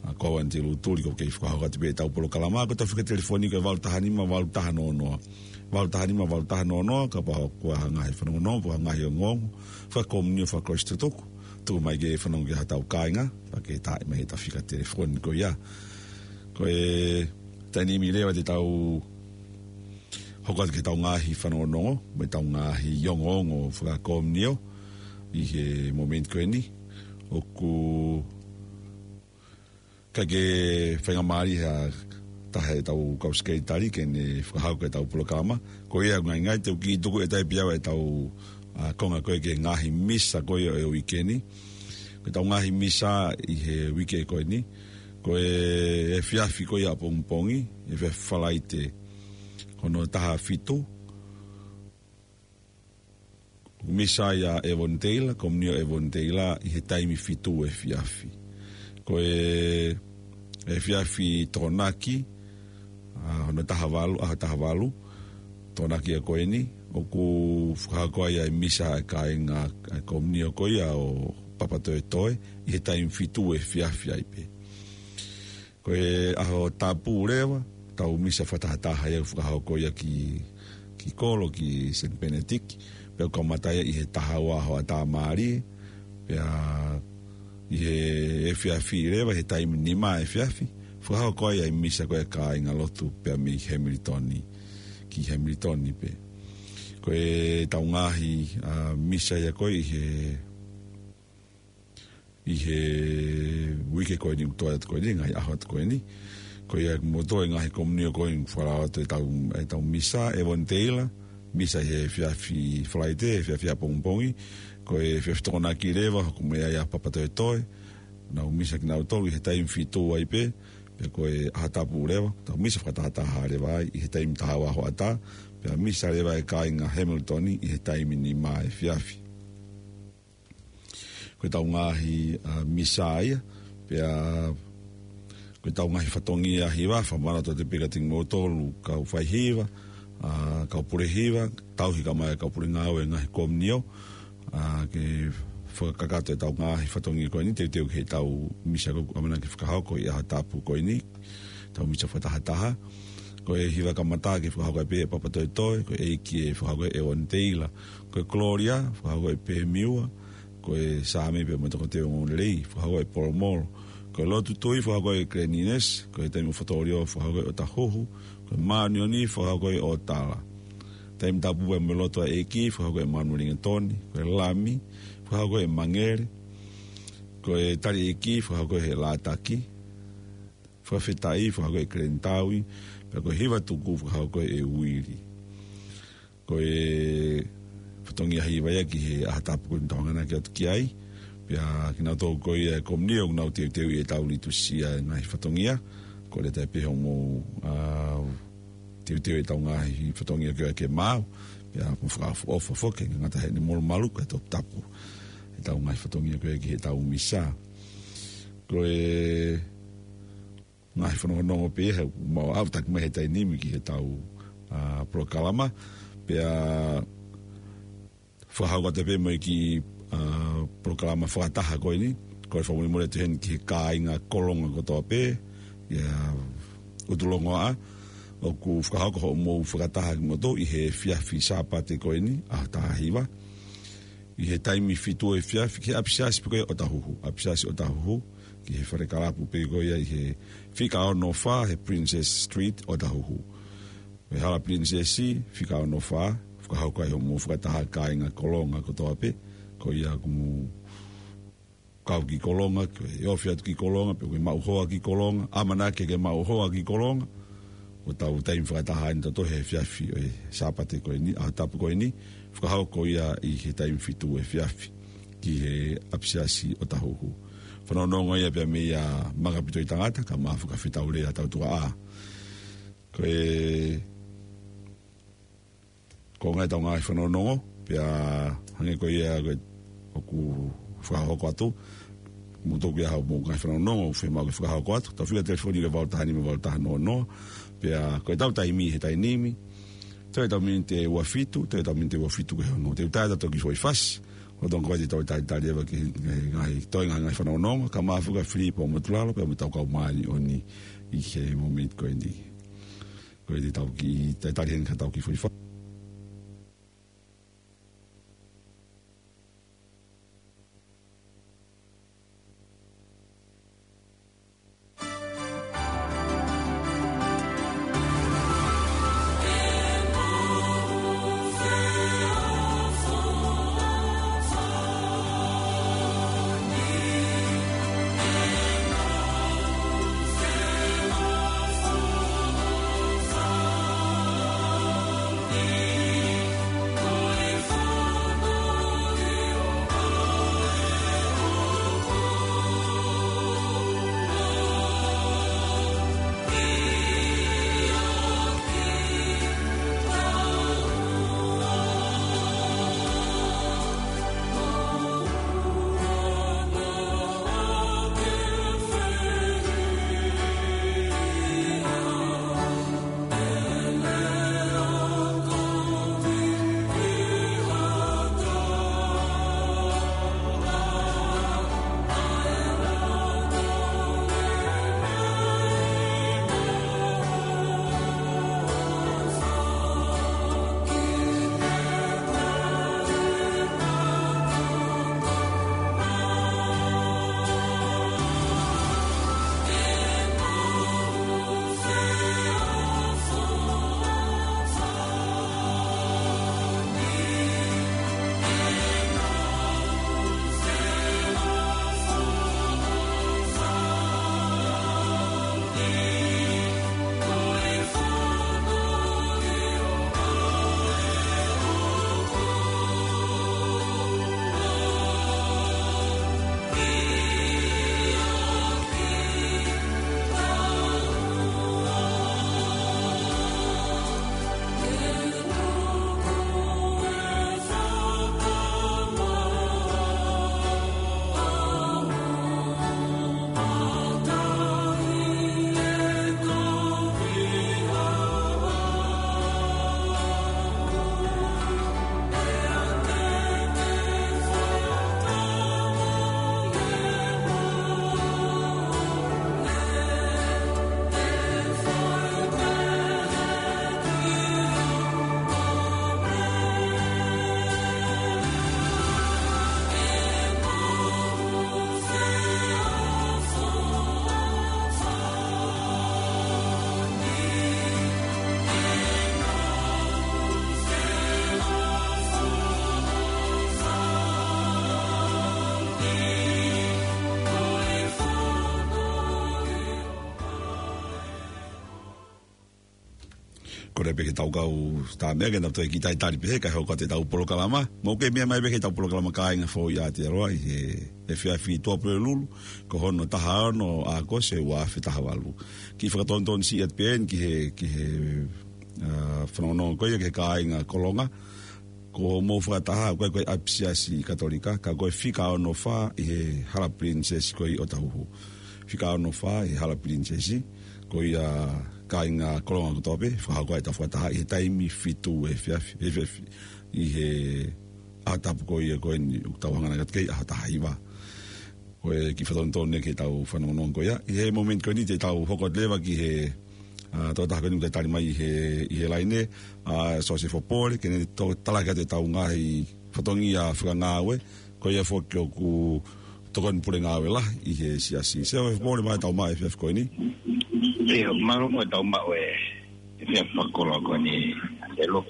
ʻA, ko au Anitelu Tuli ʻoku kei fakahoko atu pē ʻetau polokalama, ko ʻetau fika telefoni ko e valu taha nima, valu taha noa noa. Valu taha nima, valu taha noa noa, kapau ʻoku ʻi ai ha ngaahi fanongonongo, pe ha ngaahi ongoongo, fakakomunio, fakakolisi tutuku. Tuku mai ke fanongo ki ai hotau kāinga, pea ke taaʻi mai ʻetau fika telefoni ko ia. Ko e taimi ni leva te tau hoko atu ki heʻetau ngaahi fanongonongo, mo ʻetau ngaahi ongoongo fakakomunio, ʻi he momeniti ko eni, ʻoku ʻikai ke faingamālie ha taha ʻetau kau sekelitali ke ne fakahoko ʻetau polokalama. Ko ia ʻoku ngaingai te u kiʻi tuku ʻe taʻe pē au ʻetau, ʻa, konga ko ē ki he ngaahi misa ko ia ʻo e uike ni. Ko ʻetau ngaahi misa ʻi he uike ko eni, ko e efiafi ko ia ʻapongipongi, efiafi Falaite, ko hono taha fitu, misa ia ʻa Evoni Teila, komunio ʻa Evoni Teila ʻi he taimi fitu efiafi. Ko e efiafi Tokonaki, ʻa, hono taha valu, ʻaho taha valu, Tokonaki ia ko eni, ʻoku fakahoko ai ʻa e misa ʻa e kāinga, ʻa e komunio ko ia ʻo Papatoetoe, ʻi he taimi fitu efiafi ai pē. Ko e ʻaho tapu leva, ʻetau misa fakatahataha ia ʻoku fakahoko ia ki, ki kolo, ki Saint Benedict, pea ʻoku kamata ia ʻi he taha ua hoʻatā mālie, pea ʻi he efiafi leva, he taimi nima efiafi, fakahoko ai ʻa e misa ko ē ʻa e kāingalotu pea mei Hamilton, ki Hamilton pē. Ko ʻetau ngaahi, ʻa, misa ia ko ē ʻi he ʻi he uike ko eni ʻoku toe atu ko eni, ngaahi ʻaho atu ko eni. Ko ia mo e toe ngaahi komunio ko eni ʻoku falala atu ʻetau, ʻetau misa, Evoni Teila, misa ʻi he efiafi Falaite, efiafi ʻapongipongi, ko e efiafi Tokonaki leva, hoko mai ai ʻa Papatoetoe, nau misa kinautolu ʻi he taimi fitu ai pē, pea ko e ʻaho tapu leva, tau misa fakatahataha leva ai, ʻi he taimi taha ua hoʻatā, pea misa leva ʻa e kāinga Hamilton ʻi he taimi nima efiafi. Ko ʻetau ngaahi, ʻa, misa ia, pea ko ʻetau ngaahi fatongia hiva, fakamālō atu pē kiate kimoutolu, kau faihiva, ʻa, kau pule hiva, tauhi kae ʻumaʻā e kau pule ngāue ngaahi komunio, ʻa, ke fakakakato ʻetau ngaahi fatongia ko eni, teuteu ki heʻetau misa ko ē ʻoku ʻamanaki ke fakahoko ʻi he ʻaho tapu ko eni, ʻetau misa fakatahataha. Ko e hiva kamata ke fakahoko ai pē ʻe Papatoetoe, ko e ʻeiki ʻe fakahoko ʻe Evoni Teila. Ko e Kolōlia, fakahoko ʻe Pēmiua. Ko e Saame pea mo e Toketeu Ongoongolelei, fakahoko ʻe Polomolo. Ko e Lotu Tui, fakahoko ʻe Glenn Innes. Ko e Taimi ʻo Fotolio, fakahoko ʻe ʻOtahuhu. Ko e Māʻoniʻoni, fakahoko ʻe ʻOtala. Taimi Tapu pea mo e Lotu ʻa e ʻEiki, fakahoko ʻe Manueli Ingetoni. Ko e Lami, fakahoko ʻe Mangele. Ko e Tali ʻEiki, fakahoko ʻe Lātaki. Fakafetaʻi, fakahoko ʻe Glenn Taui, pea ko e Hiva Tuku, fakahoko ʻe Uili. Ko e fatongia hiva ia ki he ʻaho tapu ko eni ʻoku tau hanganaki atu ki ai, pea kinautolu ko ia e komunio ʻoku nau teuteuʻi ʻetau liturgia e ngaahi fatongia, kole atu pē hoʻomou, ʻa, teuteu ʻetau ngaahi fatongia ko ia ke maau, pea mou fakaʻofoʻofa foki, ngata heʻene molumalu ko e toputapu ʻetau ngaahi fatongia ko ia ki heʻetau misa. Ko e ngaahi fanongonongo pē ia, he mau ʻalu taki mai he taimi ni ki heʻetau, ʻa, polokalama. Pea fakahoko atu pē mo e kiʻi, ʻa, polokalama fakataha ko eni, ko e fakamolemole atu heni ki he kāinga Kolonga kotoa pē, ʻi he ʻUtulongoaʻa, ʻoku fakahoko hoʻomou fakataha kimoutolu ʻi he efiafi Sāpate ko eni, ʻaho taha hiva. ʻI he taimi fitu efiafi, ki he ʻapisiasi pē ko ia ʻOtahuhu, ʻapisiasi ʻOtahuhu, ki he fale kalapu pē ko ia ʻi he fika ono fā, he Princess Street, ʻOtahuhu. Ko e hala Princess, fika ono fā, fakahoko ai hoʻomou fakataha kāinga Kolonga kotoa pē, ko ia ʻoku mou kau ki Kolonga, ke ofi atu ki Kolonga, pe ʻoku ke maʻu hoa ki Kolonga, ʻamanaki ke maʻu hoa ki Kolonga, ʻo tau taimi fakataha ʻeni ʻo tohi he efiafi ʻo e Sāpate ko eni, ʻaho tapu ko eni, fakahoko ia ʻi he taimi fitu efiafi, ki he ʻapisiasi ʻo Tahuhu. Fanongonongo ia pea mei a Makapito ʻi Tangata, ka mafaka fitau lea tau tuka a. Ko e, ko e ngaahi tau ngaahi fanongonongo, pea hangē ko ia ko e ʻoku fakahoko atu, mou toki ʻai haʻamou ngaahi fanongonongo, fiemaʻu ke fakahoko atu, tau fika telefoni ko e valu taha nima valu taha noa noa, pea ko e tau taimi he taimi ni, toe tau miniti ʻe ua fitu, toe tau miniti ʻe ua fitu ki he ono. Te u tā atu ki he foʻi fasi, ʻo tonga ko e te tau talitali ʻeva ki he ngaahi, toe ngaahi, ngaahi fanongonongo, ka mafaka Filipo Motulalo, pea mo e tau kau māʻoniʻoni ʻi he momeniti ko eni. Ko e te tau kiʻi, talitali heni ka tau kiʻi foʻi fasi. Kole pē ke tau kau tā meʻa ke nau toe kiʻi talitali pē he kae hoko atu ʻetau polokalama. Mou kei meʻa mai pē ki heʻetau polokalama Kāinga Foʻou ʻi Aotearoa ʻi he efiafi Tuʻapulelulu, ko hono taha ono ʻo ʻAokosi ua afe taha valu. Kiʻi fakatonutonu siʻi atu pē eni ki he, ki he, ā, fanongonongo ko ia ki he kāinga Kolonga. Ko hoʻomou fakataha, ko e, ko e ʻapisiasi Katolika, ka ko e fika ono fā ʻi he Hala Pilinisesi ko ē ʻo Tahuhu. Fika ono fā ʻi he Hala Pilinisesi, ko ia kāinga Kolonga kotoa pē, fakahoko ʻetau fakataha ʻi he taimi fitu efiafi, efiafi, ʻi he ʻaho tapu ko ia ko eni, ʻoku tau hangē ʻeni ki he ʻaho taha hiva. Ko e kiʻi fakatonutonu ki heʻetau fanongonongo ko ia. ʻI he momeniti ko eni te tau hoko atu leva ki he, ā, tokotaha ko eni ʻoku talitali mai ʻi he, ʻi he laine, ā, Siosifa Pole, ke ne toe tala ki ai ʻetau ngaahi fatongia fakangāue, ko ia foki ʻoku tokoni pule ngāue lahi ʻi he siasi. Siosifa Pole, mālō e tau maʻu e efiafi ko eni. ʻIo, mālō mo e tau maʻu e efiafi fakakoloa ko eni, ʻElo.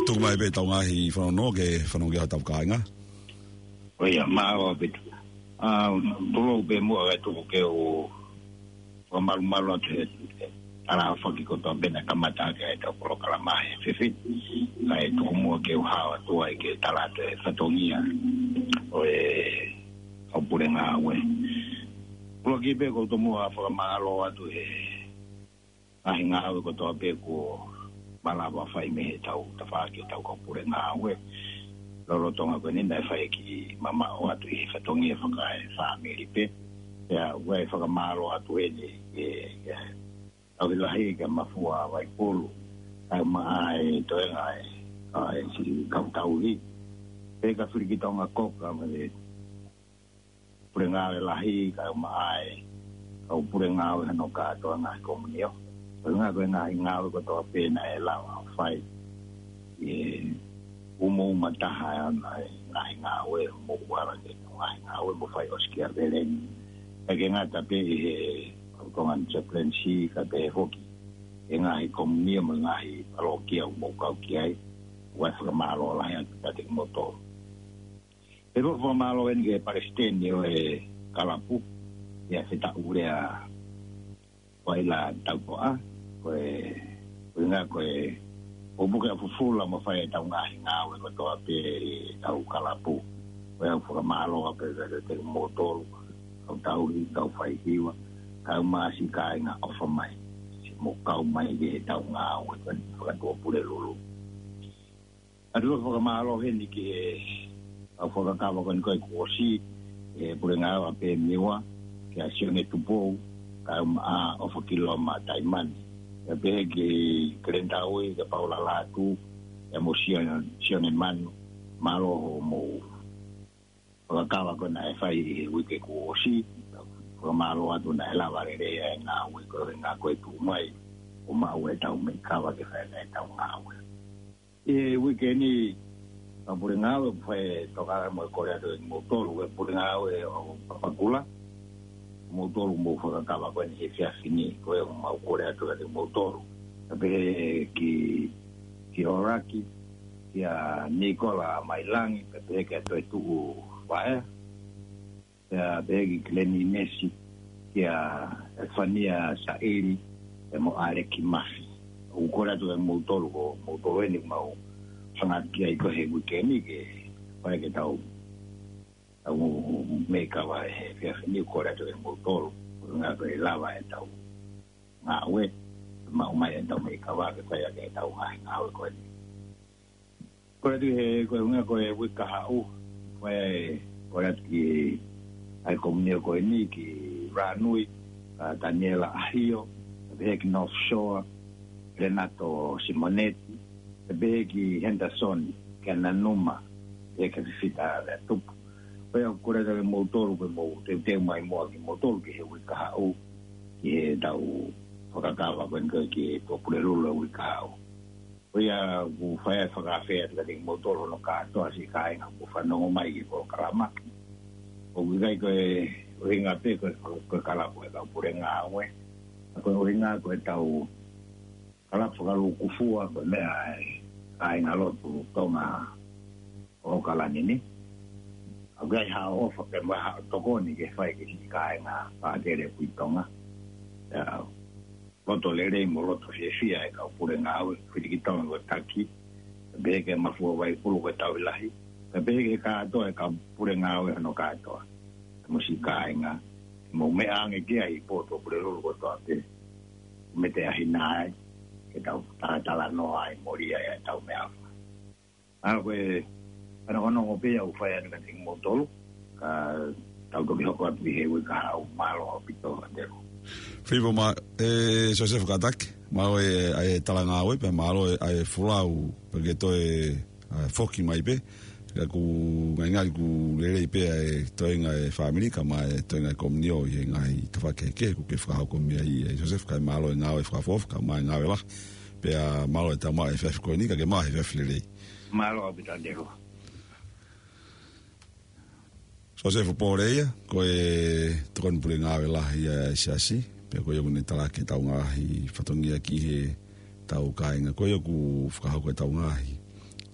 Tuku mai pē ʻetau ngaahi fanongonongo ke fanongo ki ai hotau kāinga. ʻIo, mālō ʻaupito. Ā, tulou pē muʻa kae tuku ke u fakamalumalu atu he, he, tala foki kotoa pē naʻe kamata ʻaki ʻetau polokalama he efiafi ni. Kae tuku muʻa ke u hao atu ai ke tala atu e fatongia ʻo e kau pule ngāue. Kuo laki pē ʻoku ou tomuʻa fakamālō atu he ngaahi ngāue kotoa pē kuo malava fai mei heʻetau tafaʻaki ʻetau kau pule ngāue. Lolotonga ko eni naʻe fai e kiʻi mamaʻo atu ʻi he fatongia fakaefāmili pē. Pea ʻoku ou fakamālō atu heni ki he, ki he Tauhi Lahi, kia Mafua Vaipulu, kae ʻumaʻā e toenga e, ʻa e siʻi kau tauhi. Pea kia Filikitonga Koka mo e pule ngāue lahi, kae ʻumaʻā e kau pule ngāue hono kātoa ngaahi komiunitī. Ko e ngaahi, ko e ngaahi ngāue kotoa pē naʻe lava ʻo fai ʻi he umauma taha ʻa e ngaahi ngāue, mo kuala ke ngaahi ngāue mo fai ʻosikiaveleni. ʻIkai ke ngata pē ʻi he kau Tonga ni chaplaincy, kae pehē foki e ngaahi komiunitī mo e ngaahi palōkia ʻoku mou kau ki ai, ʻoku ou fakamālō lahi atu kiate kimoutolu. Pea ʻoku ou fakamālō heni ki he palesiteni ʻo e kalapu, ʻia Fetaʻulea Vaila Taupoʻa, ko e, ko e ngaahi, ko e, ʻo puke ʻa fufula mo fai ʻetau ngaahi ngāue kotoa pē ʻetau kalapu. Ko ia ʻoku ou fakamālō pē kiate kimoutolu, kau tauhi, kau faihiva, kae ʻumaʻā siʻi kāinga ʻofa mai, siʻi mou kau mai ki heʻetau ngāue ko eni fakatuʻapulelulu. ʻOatu ʻa e fakamālō heni ki he kau fakakava ko eni ko e kuo ʻosi, e pule ngāue ʻa Pemiua, kia Sione Tupou, kae ʻumaʻā ʻOfakiloma Taimani. Pea pehē ki Keleni Taui, kia Paula Lātū, pea mo Sione, Sione Manu, mālō hoʻomou fakakava ko ē naʻe fai ʻi he uike kuo ʻosi, fakamālō atu naʻe lava lelei ʻa e ngāue ko ē, ngāue ko ē tuʻu mai, ʻo maʻu ʻetau meʻi kava ke fai ʻetau ngāue. ʻI he uike ni, kau pule ngāue, ʻoku fai e tokanga mo e kole atu kiate kimoutolu, ko e pule ngāue ʻo Papakura, kimoutolu mou fakakava ko eni he efiafi ni, ko ia ʻoku mau kole atu kiate kimoutolu. Pea pehē ki, ki ʻOlaki, kia Nikola Mailangi, pea pehē kia Toetuʻu Vaea, pea pehē ki Keleni ʻInesi, kia Efania Saʻili, pea mo ʻAleki Mafi. ʻOku kole atu kiate kimoutolu, ko moutolu eni ʻoku mau hanga ki ai ko ē he uike ni ke fai ʻetau, ʻetau meʻi kava he efiafi ni, ʻoku kole atu kiate kimoutolu, ko e ʻuhinga ko e lava ʻetau ngāue, maʻu mai ʻetau meʻi kava ke fai ʻaki ʻetau ngaahi ngāue ko eni. Kole atu he, ko e ʻuhinga ko e uike kahaʻu, ko e, kole atu ki he komiunitī ko eni ki Ranui, ʻa Taniela ʻAhio, pea pehē ki North Shore, Renato Simonetti, pea pehē ki Henderson, kia Nanuma, pea kia Fifita Leatupu. Ko ia ʻoku kole atu kiate kimoutolu, ko e mou teuteu mai muʻa kimoutolu ki he uike kahaʻu, ki heʻetau fakakava ko eni ko ē ki he Tuʻapulelulu he uike kahaʻu. Ko ia ʻoku ou fai ʻa e fakaafe atu kiate kimoutolu hono kātoa siʻi kāinga ʻoku fanongo mai ki he polokalama. ʻOku ʻikai ko e ʻuhinga pē ko e, ko e kalapu ʻa e kau pule ngāue. Ka ko e ʻuhinga ko ʻetau kalapu fakalūkufua ko e meʻa ʻa e kāingalotu Tonga ʻo ʻAokalani ni. ʻOku ʻi ai haʻo ʻofa pea mo haʻo tokoni ke fai ki he siʻi kāinga Pākele Pui Tonga. Pea loto lelei mo loto fiefia e kau pule ngāue, Filikitonga ko e taki, pea pehē kia Mafua Vaipulu ko e Tauhi Lahi, pea pehē ki he kātoa e kau pule ngāue hono kātoa. Mo siʻi kāinga, mou meʻa ange ki ai ʻi he Tuʻapulelulu kotoa pē. Mou meʻa ange ai, ke tau talatalanoa ai, mou lea ai ʻetau meʻaʻofa. ʻA ko e, ʻa e nongonongo pē ia ʻoku fai atu kiate kimoutolu, ka tau toki hoko atu ʻi he uike kahaʻu. Mālō ʻaupito, Andrew. Filipo mo, ē, Siosefa Kataki, mālō e, ʻa e talangāue, pea mālō e, ʻa e folau, pea ke toe, ʻa, foki mai pē, ka ʻoku ngalingali ʻoku lelei pē ʻa e toenga e fāmili, kae ʻumaʻā e toenga e komiunitī ʻi he ngaahi tafaʻaki kehekehe ʻoku ke fakahoko mei ai, ē, Siosefa, kae mālō e ngāue fakaʻofoʻofa, kae ʻumaʻā e ngāue lahi, pea mālō e tau maʻu e efiafi ko eni, ka ke maʻu e efiafi lelei. Mālō ʻaupito, Andrew. Siosefa Pōleia, ko e tokoni pule ngāue lahi ʻa e Siasi, pea ko ia ʻoku ne talaki ʻetau ngaahi fatongia ki heʻetau kāinga, ko ia ʻoku fakahoko ʻetau ngaahi,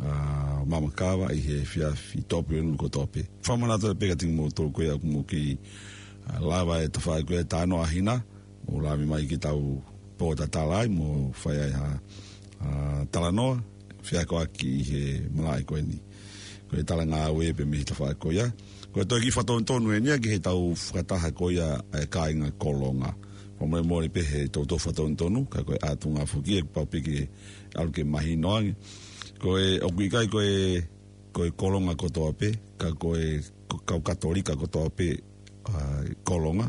ʻa, maama kava ʻi he efiafi Tuʻapulelulu kotoa pē. Fakamanatu pē kiate kimoutolu ko ia ʻoku mou kei, ʻa, lava e tafaʻaki ko ia e Talanoa ʻa Hina, mou lave mai ki heʻetau pōtatala ai mo fai ai ha, ʻa, talanoa, feakoʻaki ʻi he malaʻe ko eni. Ko e talangāue pē mei he tafaʻaki ko ia. Ko e toe kiʻi fakatonutonu eni ia ki heʻetau fakataha ko ia ʻa e kāinga Kolonga. Fakamolemole pē he toutou fakatonutonu, ka ko e ʻātunga foki ʻe pau pē ke ʻalu ke mahino ange. Ko e, ʻoku ʻikai ko e, ko e Kolonga kotoa pē, ka ko e, ko e kau Katolika kotoa pē, ʻa, Kolonga,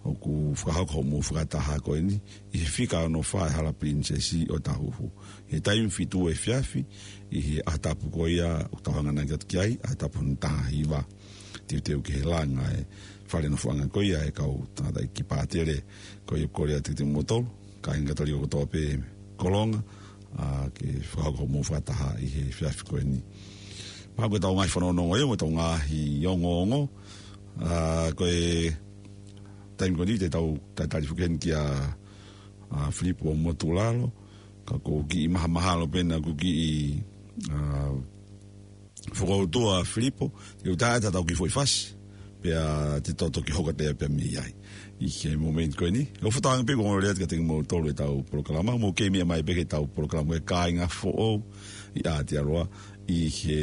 ʻoku fakahoko hoʻomou fakataha ko eni, ʻi he fika ono fā ʻi he Hala Pilinisesi ʻOtahuhu. ʻI he taimi fitu efiafi, ʻi he ʻaho tapu ko ia, ʻoku tau hanganaki atu ki ai, ʻaho tapu hono taha hiva. Teuteu ki he langa e fale nofoʻanga ko ia ʻa e kau tangataʻeiki pātele, ko ia ʻoku kole atu kiate kimoutolu, kāinga Katolika kotoa pē Kolonga, ʻa, ke fakahoko hoʻomou fakataha ʻi he efiafi ko eni. Pea ko ʻetau ngaahi fanongonongo ia, mo ʻetau ngaahi ongoongo, ʻa, ko e taimi ko eni te tau tatali foki heni kia, ʻa, Filipo Motulalo, ka ʻoku ou kiʻi mahamahalo pē naʻa ku kiʻi, ʻa, fokoutua Filipo, ke u tā atu ʻetau kiʻi foʻi fasi, pea te tau toki hoko atu pē mei ai. ʻI he momeniti ko eni, ʻoku ou fakatauange pē kuo ongo lelei atu kiate kimoutolu ʻetau polokalama, mou kei meʻa mai pē ki heʻetau polokalama ko e Kāinga Foʻou ʻi Aotearoa, ʻi he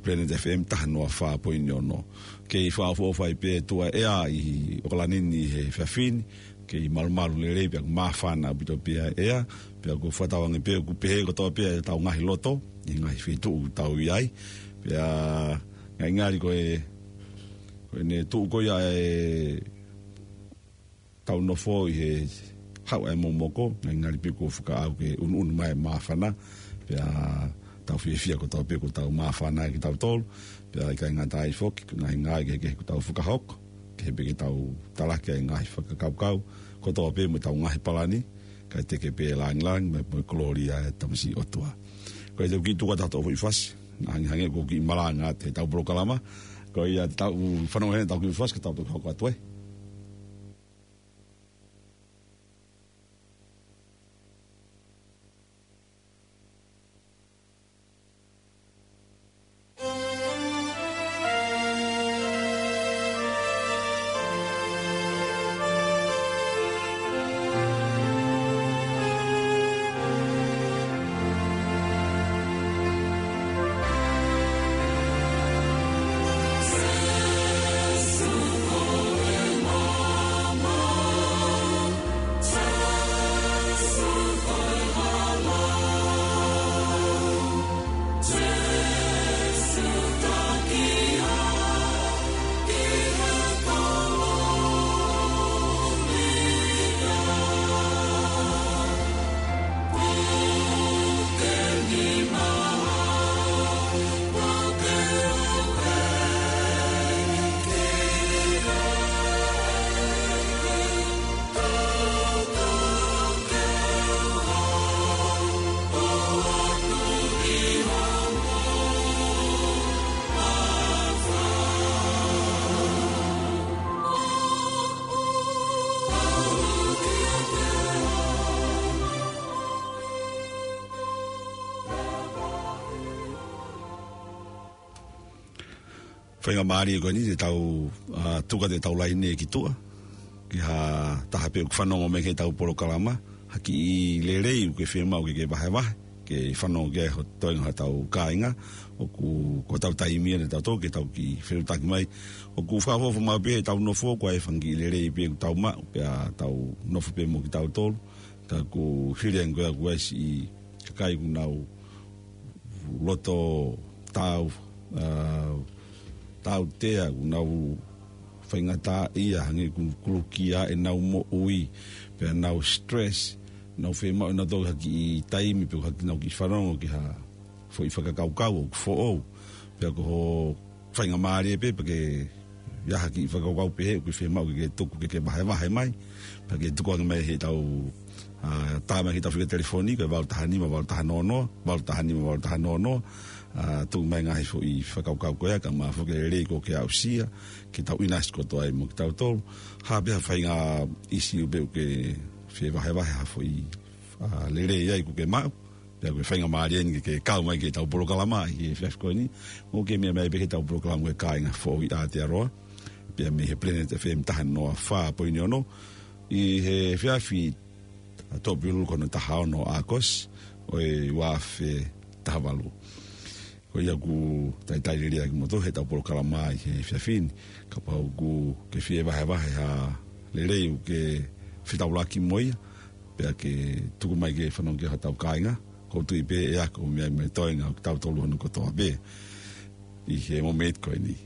Planet F M taha noa fā poini ono. Kei fakaʻofoʻofa ai pē tuʻa ʻea ʻi ʻOkalani ni he efiafi ni, kei malumalu lelei pea ʻoku māfana ʻaupito pē ʻa e ʻea, pea ʻoku ou fakatauange pē ʻoku pehē kotoa pē ʻetau ngaahi loto, ʻi he ngaahi feituʻu ʻoku tau ʻi ai. Pea ngalingali ko e, ko ʻene tuʻu ko ia ʻetau nofo ʻi he haʻu ʻa e momoko, ngalingali pē kuo fakaʻau ke unuunu mai e māfana, pea tau fiefia kotoa pē kuo tau māfana kitautolu, pea ʻikai ngata ai foki, ko e ngaahi ngāue kehekehe kuo tau fakahoko, kehe pē ke tau talaki ʻa e ngaahi fakakaukau kotoa pē mo ʻetau ngaahi palani, kae teke pē e lāngilangi mo e, mo e kolōlia ʻa e Tamasiʻi ʻOtua. Ko ia te u kiʻi tuku atu haʻatau foʻi fasi, naʻa hangehangē ʻoku ou kiʻi malanga atu heʻetau polokalama, ko ia te tau fanongo heni heʻetau kiʻi fasi, ka tau toki hoko atu ai. Faingamālie ko eni te tau, ʻa, tuku atu ʻetau laine ki tuʻa, ki ha taha pē ʻoku fanongo mai ki heʻetau polokalama, ha kiʻi lelei ʻoku ke fiemaʻu ke ke vahevahe, ke fanongo ki ai ho toenga hotau kāinga, ʻoku, ko hotau taimi eni ʻatautolu ke tau kiʻi fetuʻutaki mai, ʻoku fakaʻofoʻofa maʻu pē heʻetau nofo, ko e fanga kiʻi lelei pē ʻoku tau maʻu, pea tau nofo pē mo kitautolu, ka ʻoku hili ange ko ia ʻoku ʻi ai siʻi kakai ʻoku nau loto tau, ʻa, tautea, ʻoku nau faingataʻaʻia, hangē ʻoku kulukia ʻenau moʻui, pea nau stress, nau fiemaʻu ʻenautolu ha kiʻi taimi, pe ha kiʻi nau kiʻi fanongo ki ha foʻi fakakaukau ʻoku foʻou, pea ko ho faingamālie pē, pea ke ʻi ai ha kiʻi fakakaukau pehē ʻoku ke fiemaʻu ke ke tuku ke ke vahevahe mai, pea ke tuku ange mai heʻetau, ʻa, tā mai ki heʻetau fika telefoni, ko e valu taha nima, valu taha noa noa, valu taha nima, valu taha noa noa, ʻa, tuku mai ngaahi foʻi fakakaukau ko ia, kae ʻumaʻā foki e lelei ʻoku ke aʻusia, ke tau ʻinasi kotoa ai mo kitautolu, ha pē ha faʻahinga ʻīsiu pē ʻoku ke fie vahevahe ha foʻi, ʻa, lelei ai ʻoku ke maʻu, pea ko e faingamālie eni ke ke kau mai ki heʻetau polokalama ʻi he efiafi ko eni. Mou kei meʻa mai pē ki heʻetau polokalama ko e Kāinga Foʻou ʻi Aotearoa, pea mei he Planet F M taha noa fā poini ono, ʻi he efiafi ʻa Tōpilulu ko hono taha ono ʻo ʻAokosi ʻo e ua afe taha valu. Ko ia ʻoku talitali lelei ʻa kimoutolu heʻetau polokalama ʻi he efiafi ni, kapau ʻoku ke fie vahevahe ha lelei ʻoku ke fetaulaki mo ia, pea ke tuku mai ke fanongo ki ai hotau kāinga, ʻoku ou tui pē ʻe ako mei ai mo e toenga ʻo kitautolu hono kotoa pē ʻi he mōmeniti ko eni.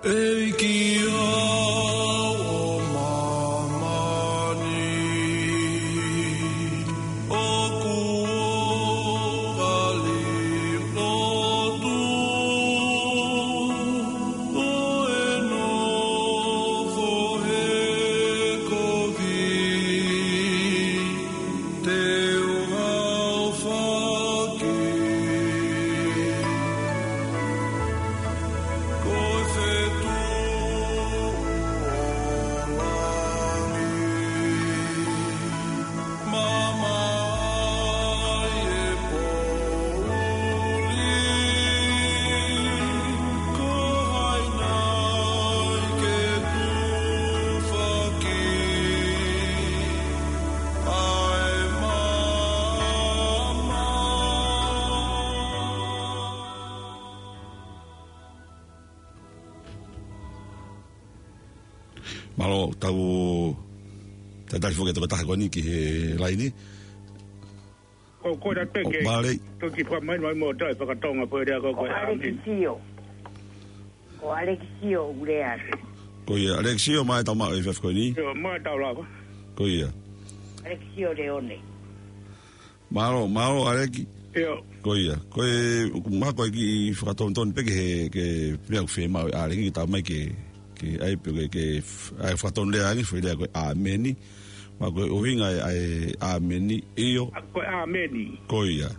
ʻEiki ʻo māmani, ʻoku ou kole lotu, ʻo e nofo he kovi. Te u hao faki ko e fetuʻu ʻo langi, mamaʻo e poʻuli, ko hai nai ke tufaki. Mālō, tau talitali foki e tokotaha ko eni ki he laini. Ko, ko e ʻa te ke, mālō. Toki fakamai mai mo tau fakatonga pē lea ko, ko ʻAlekisio. Ko ʻAlekisio ʻoku lea atu. Ko ia, ʻAlekisio, mai tau maʻu e efiafi ko eni. ʻIo, mai tau lava. Ko ia. ʻAlekisio Leone. Mālō, mālō, ʻAleki. ʻIo. Ko ia. Ko e, ʻoku maʻu ko e kiʻi fakatonutonu pē ki he, ki he meʻa ʻoku fiemaʻu ʻe ʻAleki ke tau mai ke, ke ʻai pē ke, ke f-, ʻai fakatonu lea ange, foʻi lea ko e ʻāmeni. Maʻu ko e ʻuhinga ʻa e, ʻa e ʻāmeni, ʻio. ʻA, ko e ʻāmeni. Ko ia.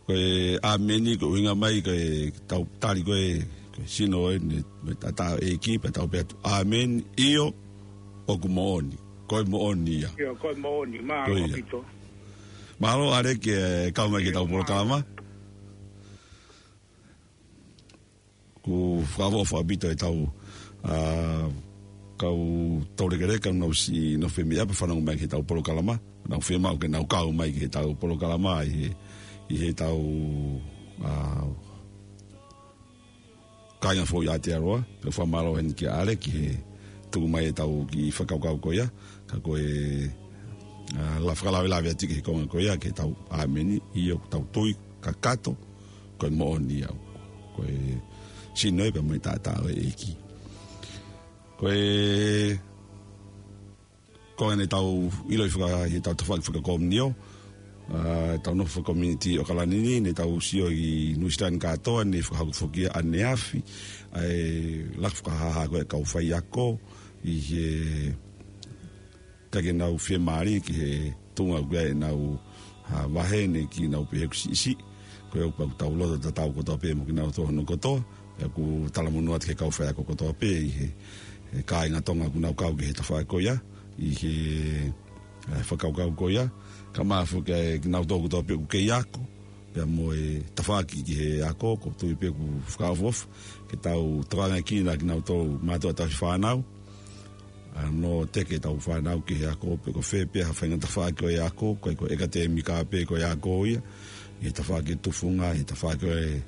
Ko e ʻāmeni, ko e ʻuhinga mai, ko e tau tali ko e, ko e sino ē, ne, mo e taʻataʻa ʻo e ʻEiki, pea tau pehē atu, ʻāmeni, ʻio, ʻoku moʻoni. Ko e moʻoni ia. ʻIo, ko e moʻoni, mālō ʻaupito. Mālō, ʻAleki, ʻe kau mai ki heʻetau polokalama. ʻOku ou fakaʻofoʻofa ʻaupito ʻetau, ʻa, kau toulekeleka, nau siʻi nofo mai ʻo fanongo mai ki heʻetau polokalama. Nau fiemaʻu ke nau kau mai ki heʻetau polokalama ʻi he, ʻi heʻetau, ʻa, kāinga foʻou ʻi Aotearoa, pea fakamālō heni kia ʻAleki he tuku mai ʻetau kiʻi fakakaukau ko ia, ka ko e, ʻa, la fakalavelave atu ki he konga ko ia, ki heʻetau ʻāmeni, ʻio, ʻoku tau tui kakato, ko e moʻoni ia, ko e sino ē pea mo e taʻataʻa ʻo e ʻEiki. Ko e, ko eni ʻetau ʻiloʻi faka-, ʻi heʻetau tafaʻaki fakakomiunio, ʻa, ʻetau nofo fakakomiunitī ʻAokalani ni, ne tau sio ʻi Nuʻusila ni kātoa, ne fakahoko foki ʻaneafi ʻa e laka fakahāhā ko ē ʻa e kau faiako, ʻi he ʻikai ke nau fiemālie ki he tuʻunga ʻoku ʻi ai ʻenau, ʻa, vahe ne kiʻi nau pehē ʻoku siʻisiʻi. Ko ia ʻoku pau ke tau loto tatau kotoa pē mo kinautolu hono kotoa. Pea ʻoku talamonū atu ki he kau faiako kotoa pē ʻi he, he kāinga Tonga ʻoku nau kau ki he tafaʻaki ko ia, ʻi he, ʻa, fakakaukau ko ia. Kae ʻumaʻā foki ʻa kinautolu kotoa pē ʻoku kei ako, pea mo e tafaʻaki ki he ako, ʻoku ou tui pē ʻoku fakaʻofoʻofa ke tau tokangaʻi kinautolu mātuʻa tauhi fānau, ʻa, ʻo teke ʻetau fānau ki he ako, pe ko fē pē ha faʻahinga tafaʻaki ʻo e ako, ko e, ko e ʻekatēmika pē ko e ako ia, ʻi he tafaʻaki tufunga, ʻi he tafaʻaki ʻo e,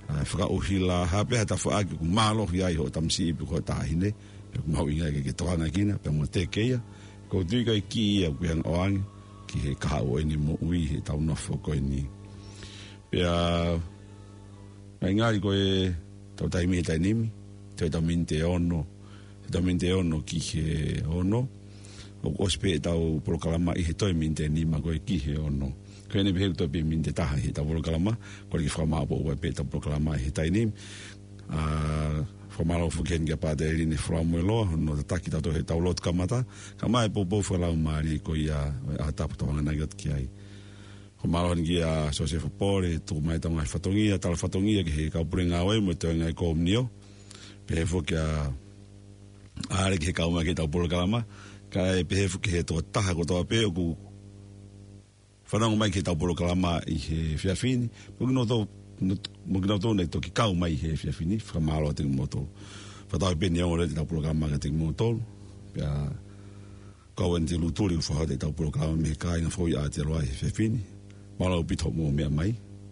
ʻa, fakaʻuhila, ha pē ha tafaʻaki ʻoku mālohi ai hoʻo tamasiʻi pe ko hoʻo taʻahine, pea ʻoku mahuʻinga ke, ke tokangaʻi kinautolu, pea mo teke ia, ʻoku ou tui ko e kī ia ʻoku ʻi ai ʻa e ʻoange ki he kahaʻu ʻo ʻene moʻui heʻetau nofo ko eni. Pea, ʻa e ngaahi ko ē, tau taimi he taimi ni, toe ʻetau miniti ʻe ono, ʻetau miniti ʻe ono ki he ono, ʻoku ʻosi pē ʻetau polokalama ʻi he toe miniti ʻe nima ko ē ki he ono. Ko ʻene pehē ʻoku toe pē miniti ʻe taha heʻetau polokalama, kole ke fakamāʻopoʻopo pē ʻetau polokalama ʻi he taimi ni. ʻA, fakamālō foki heni kia Pātele Line Folamoeloa, hono tataki tautolu heʻetau lotu kamata, kae ʻumaʻā e poupou fakalaumālie ko ia ʻo e ʻaho tapu tau hanganaki atu ki ai. Fakamālō heni kia Siosefa Pole, tuku mai ʻetau ngaahi fatongia, tala fatongia ki he kau pule ngāue mo e toenga ʻi Komunio. Pehē foki kia ʻAle ki he kau mai ki heʻetau polokalama, kae pehē foki ki he tokotaha kotoa pē ʻoku fanongo mai ki heʻetau polokalama ʻi he efiafi ni, mo kinautolu, mo kinautolu naʻe toki kau mai he efiafi ni, fakamālō atu kimoutolu. Fakatauange pē ʻe ongo lelei ʻetau polokalama kiate kimoutolu, pea kau eni te u tuli ʻo fakahoko ʻetau polokalama mei he kāinga foʻou ʻi Aotearoa he efiafi ni. Mālō ʻaupito hoʻomou meʻa mai.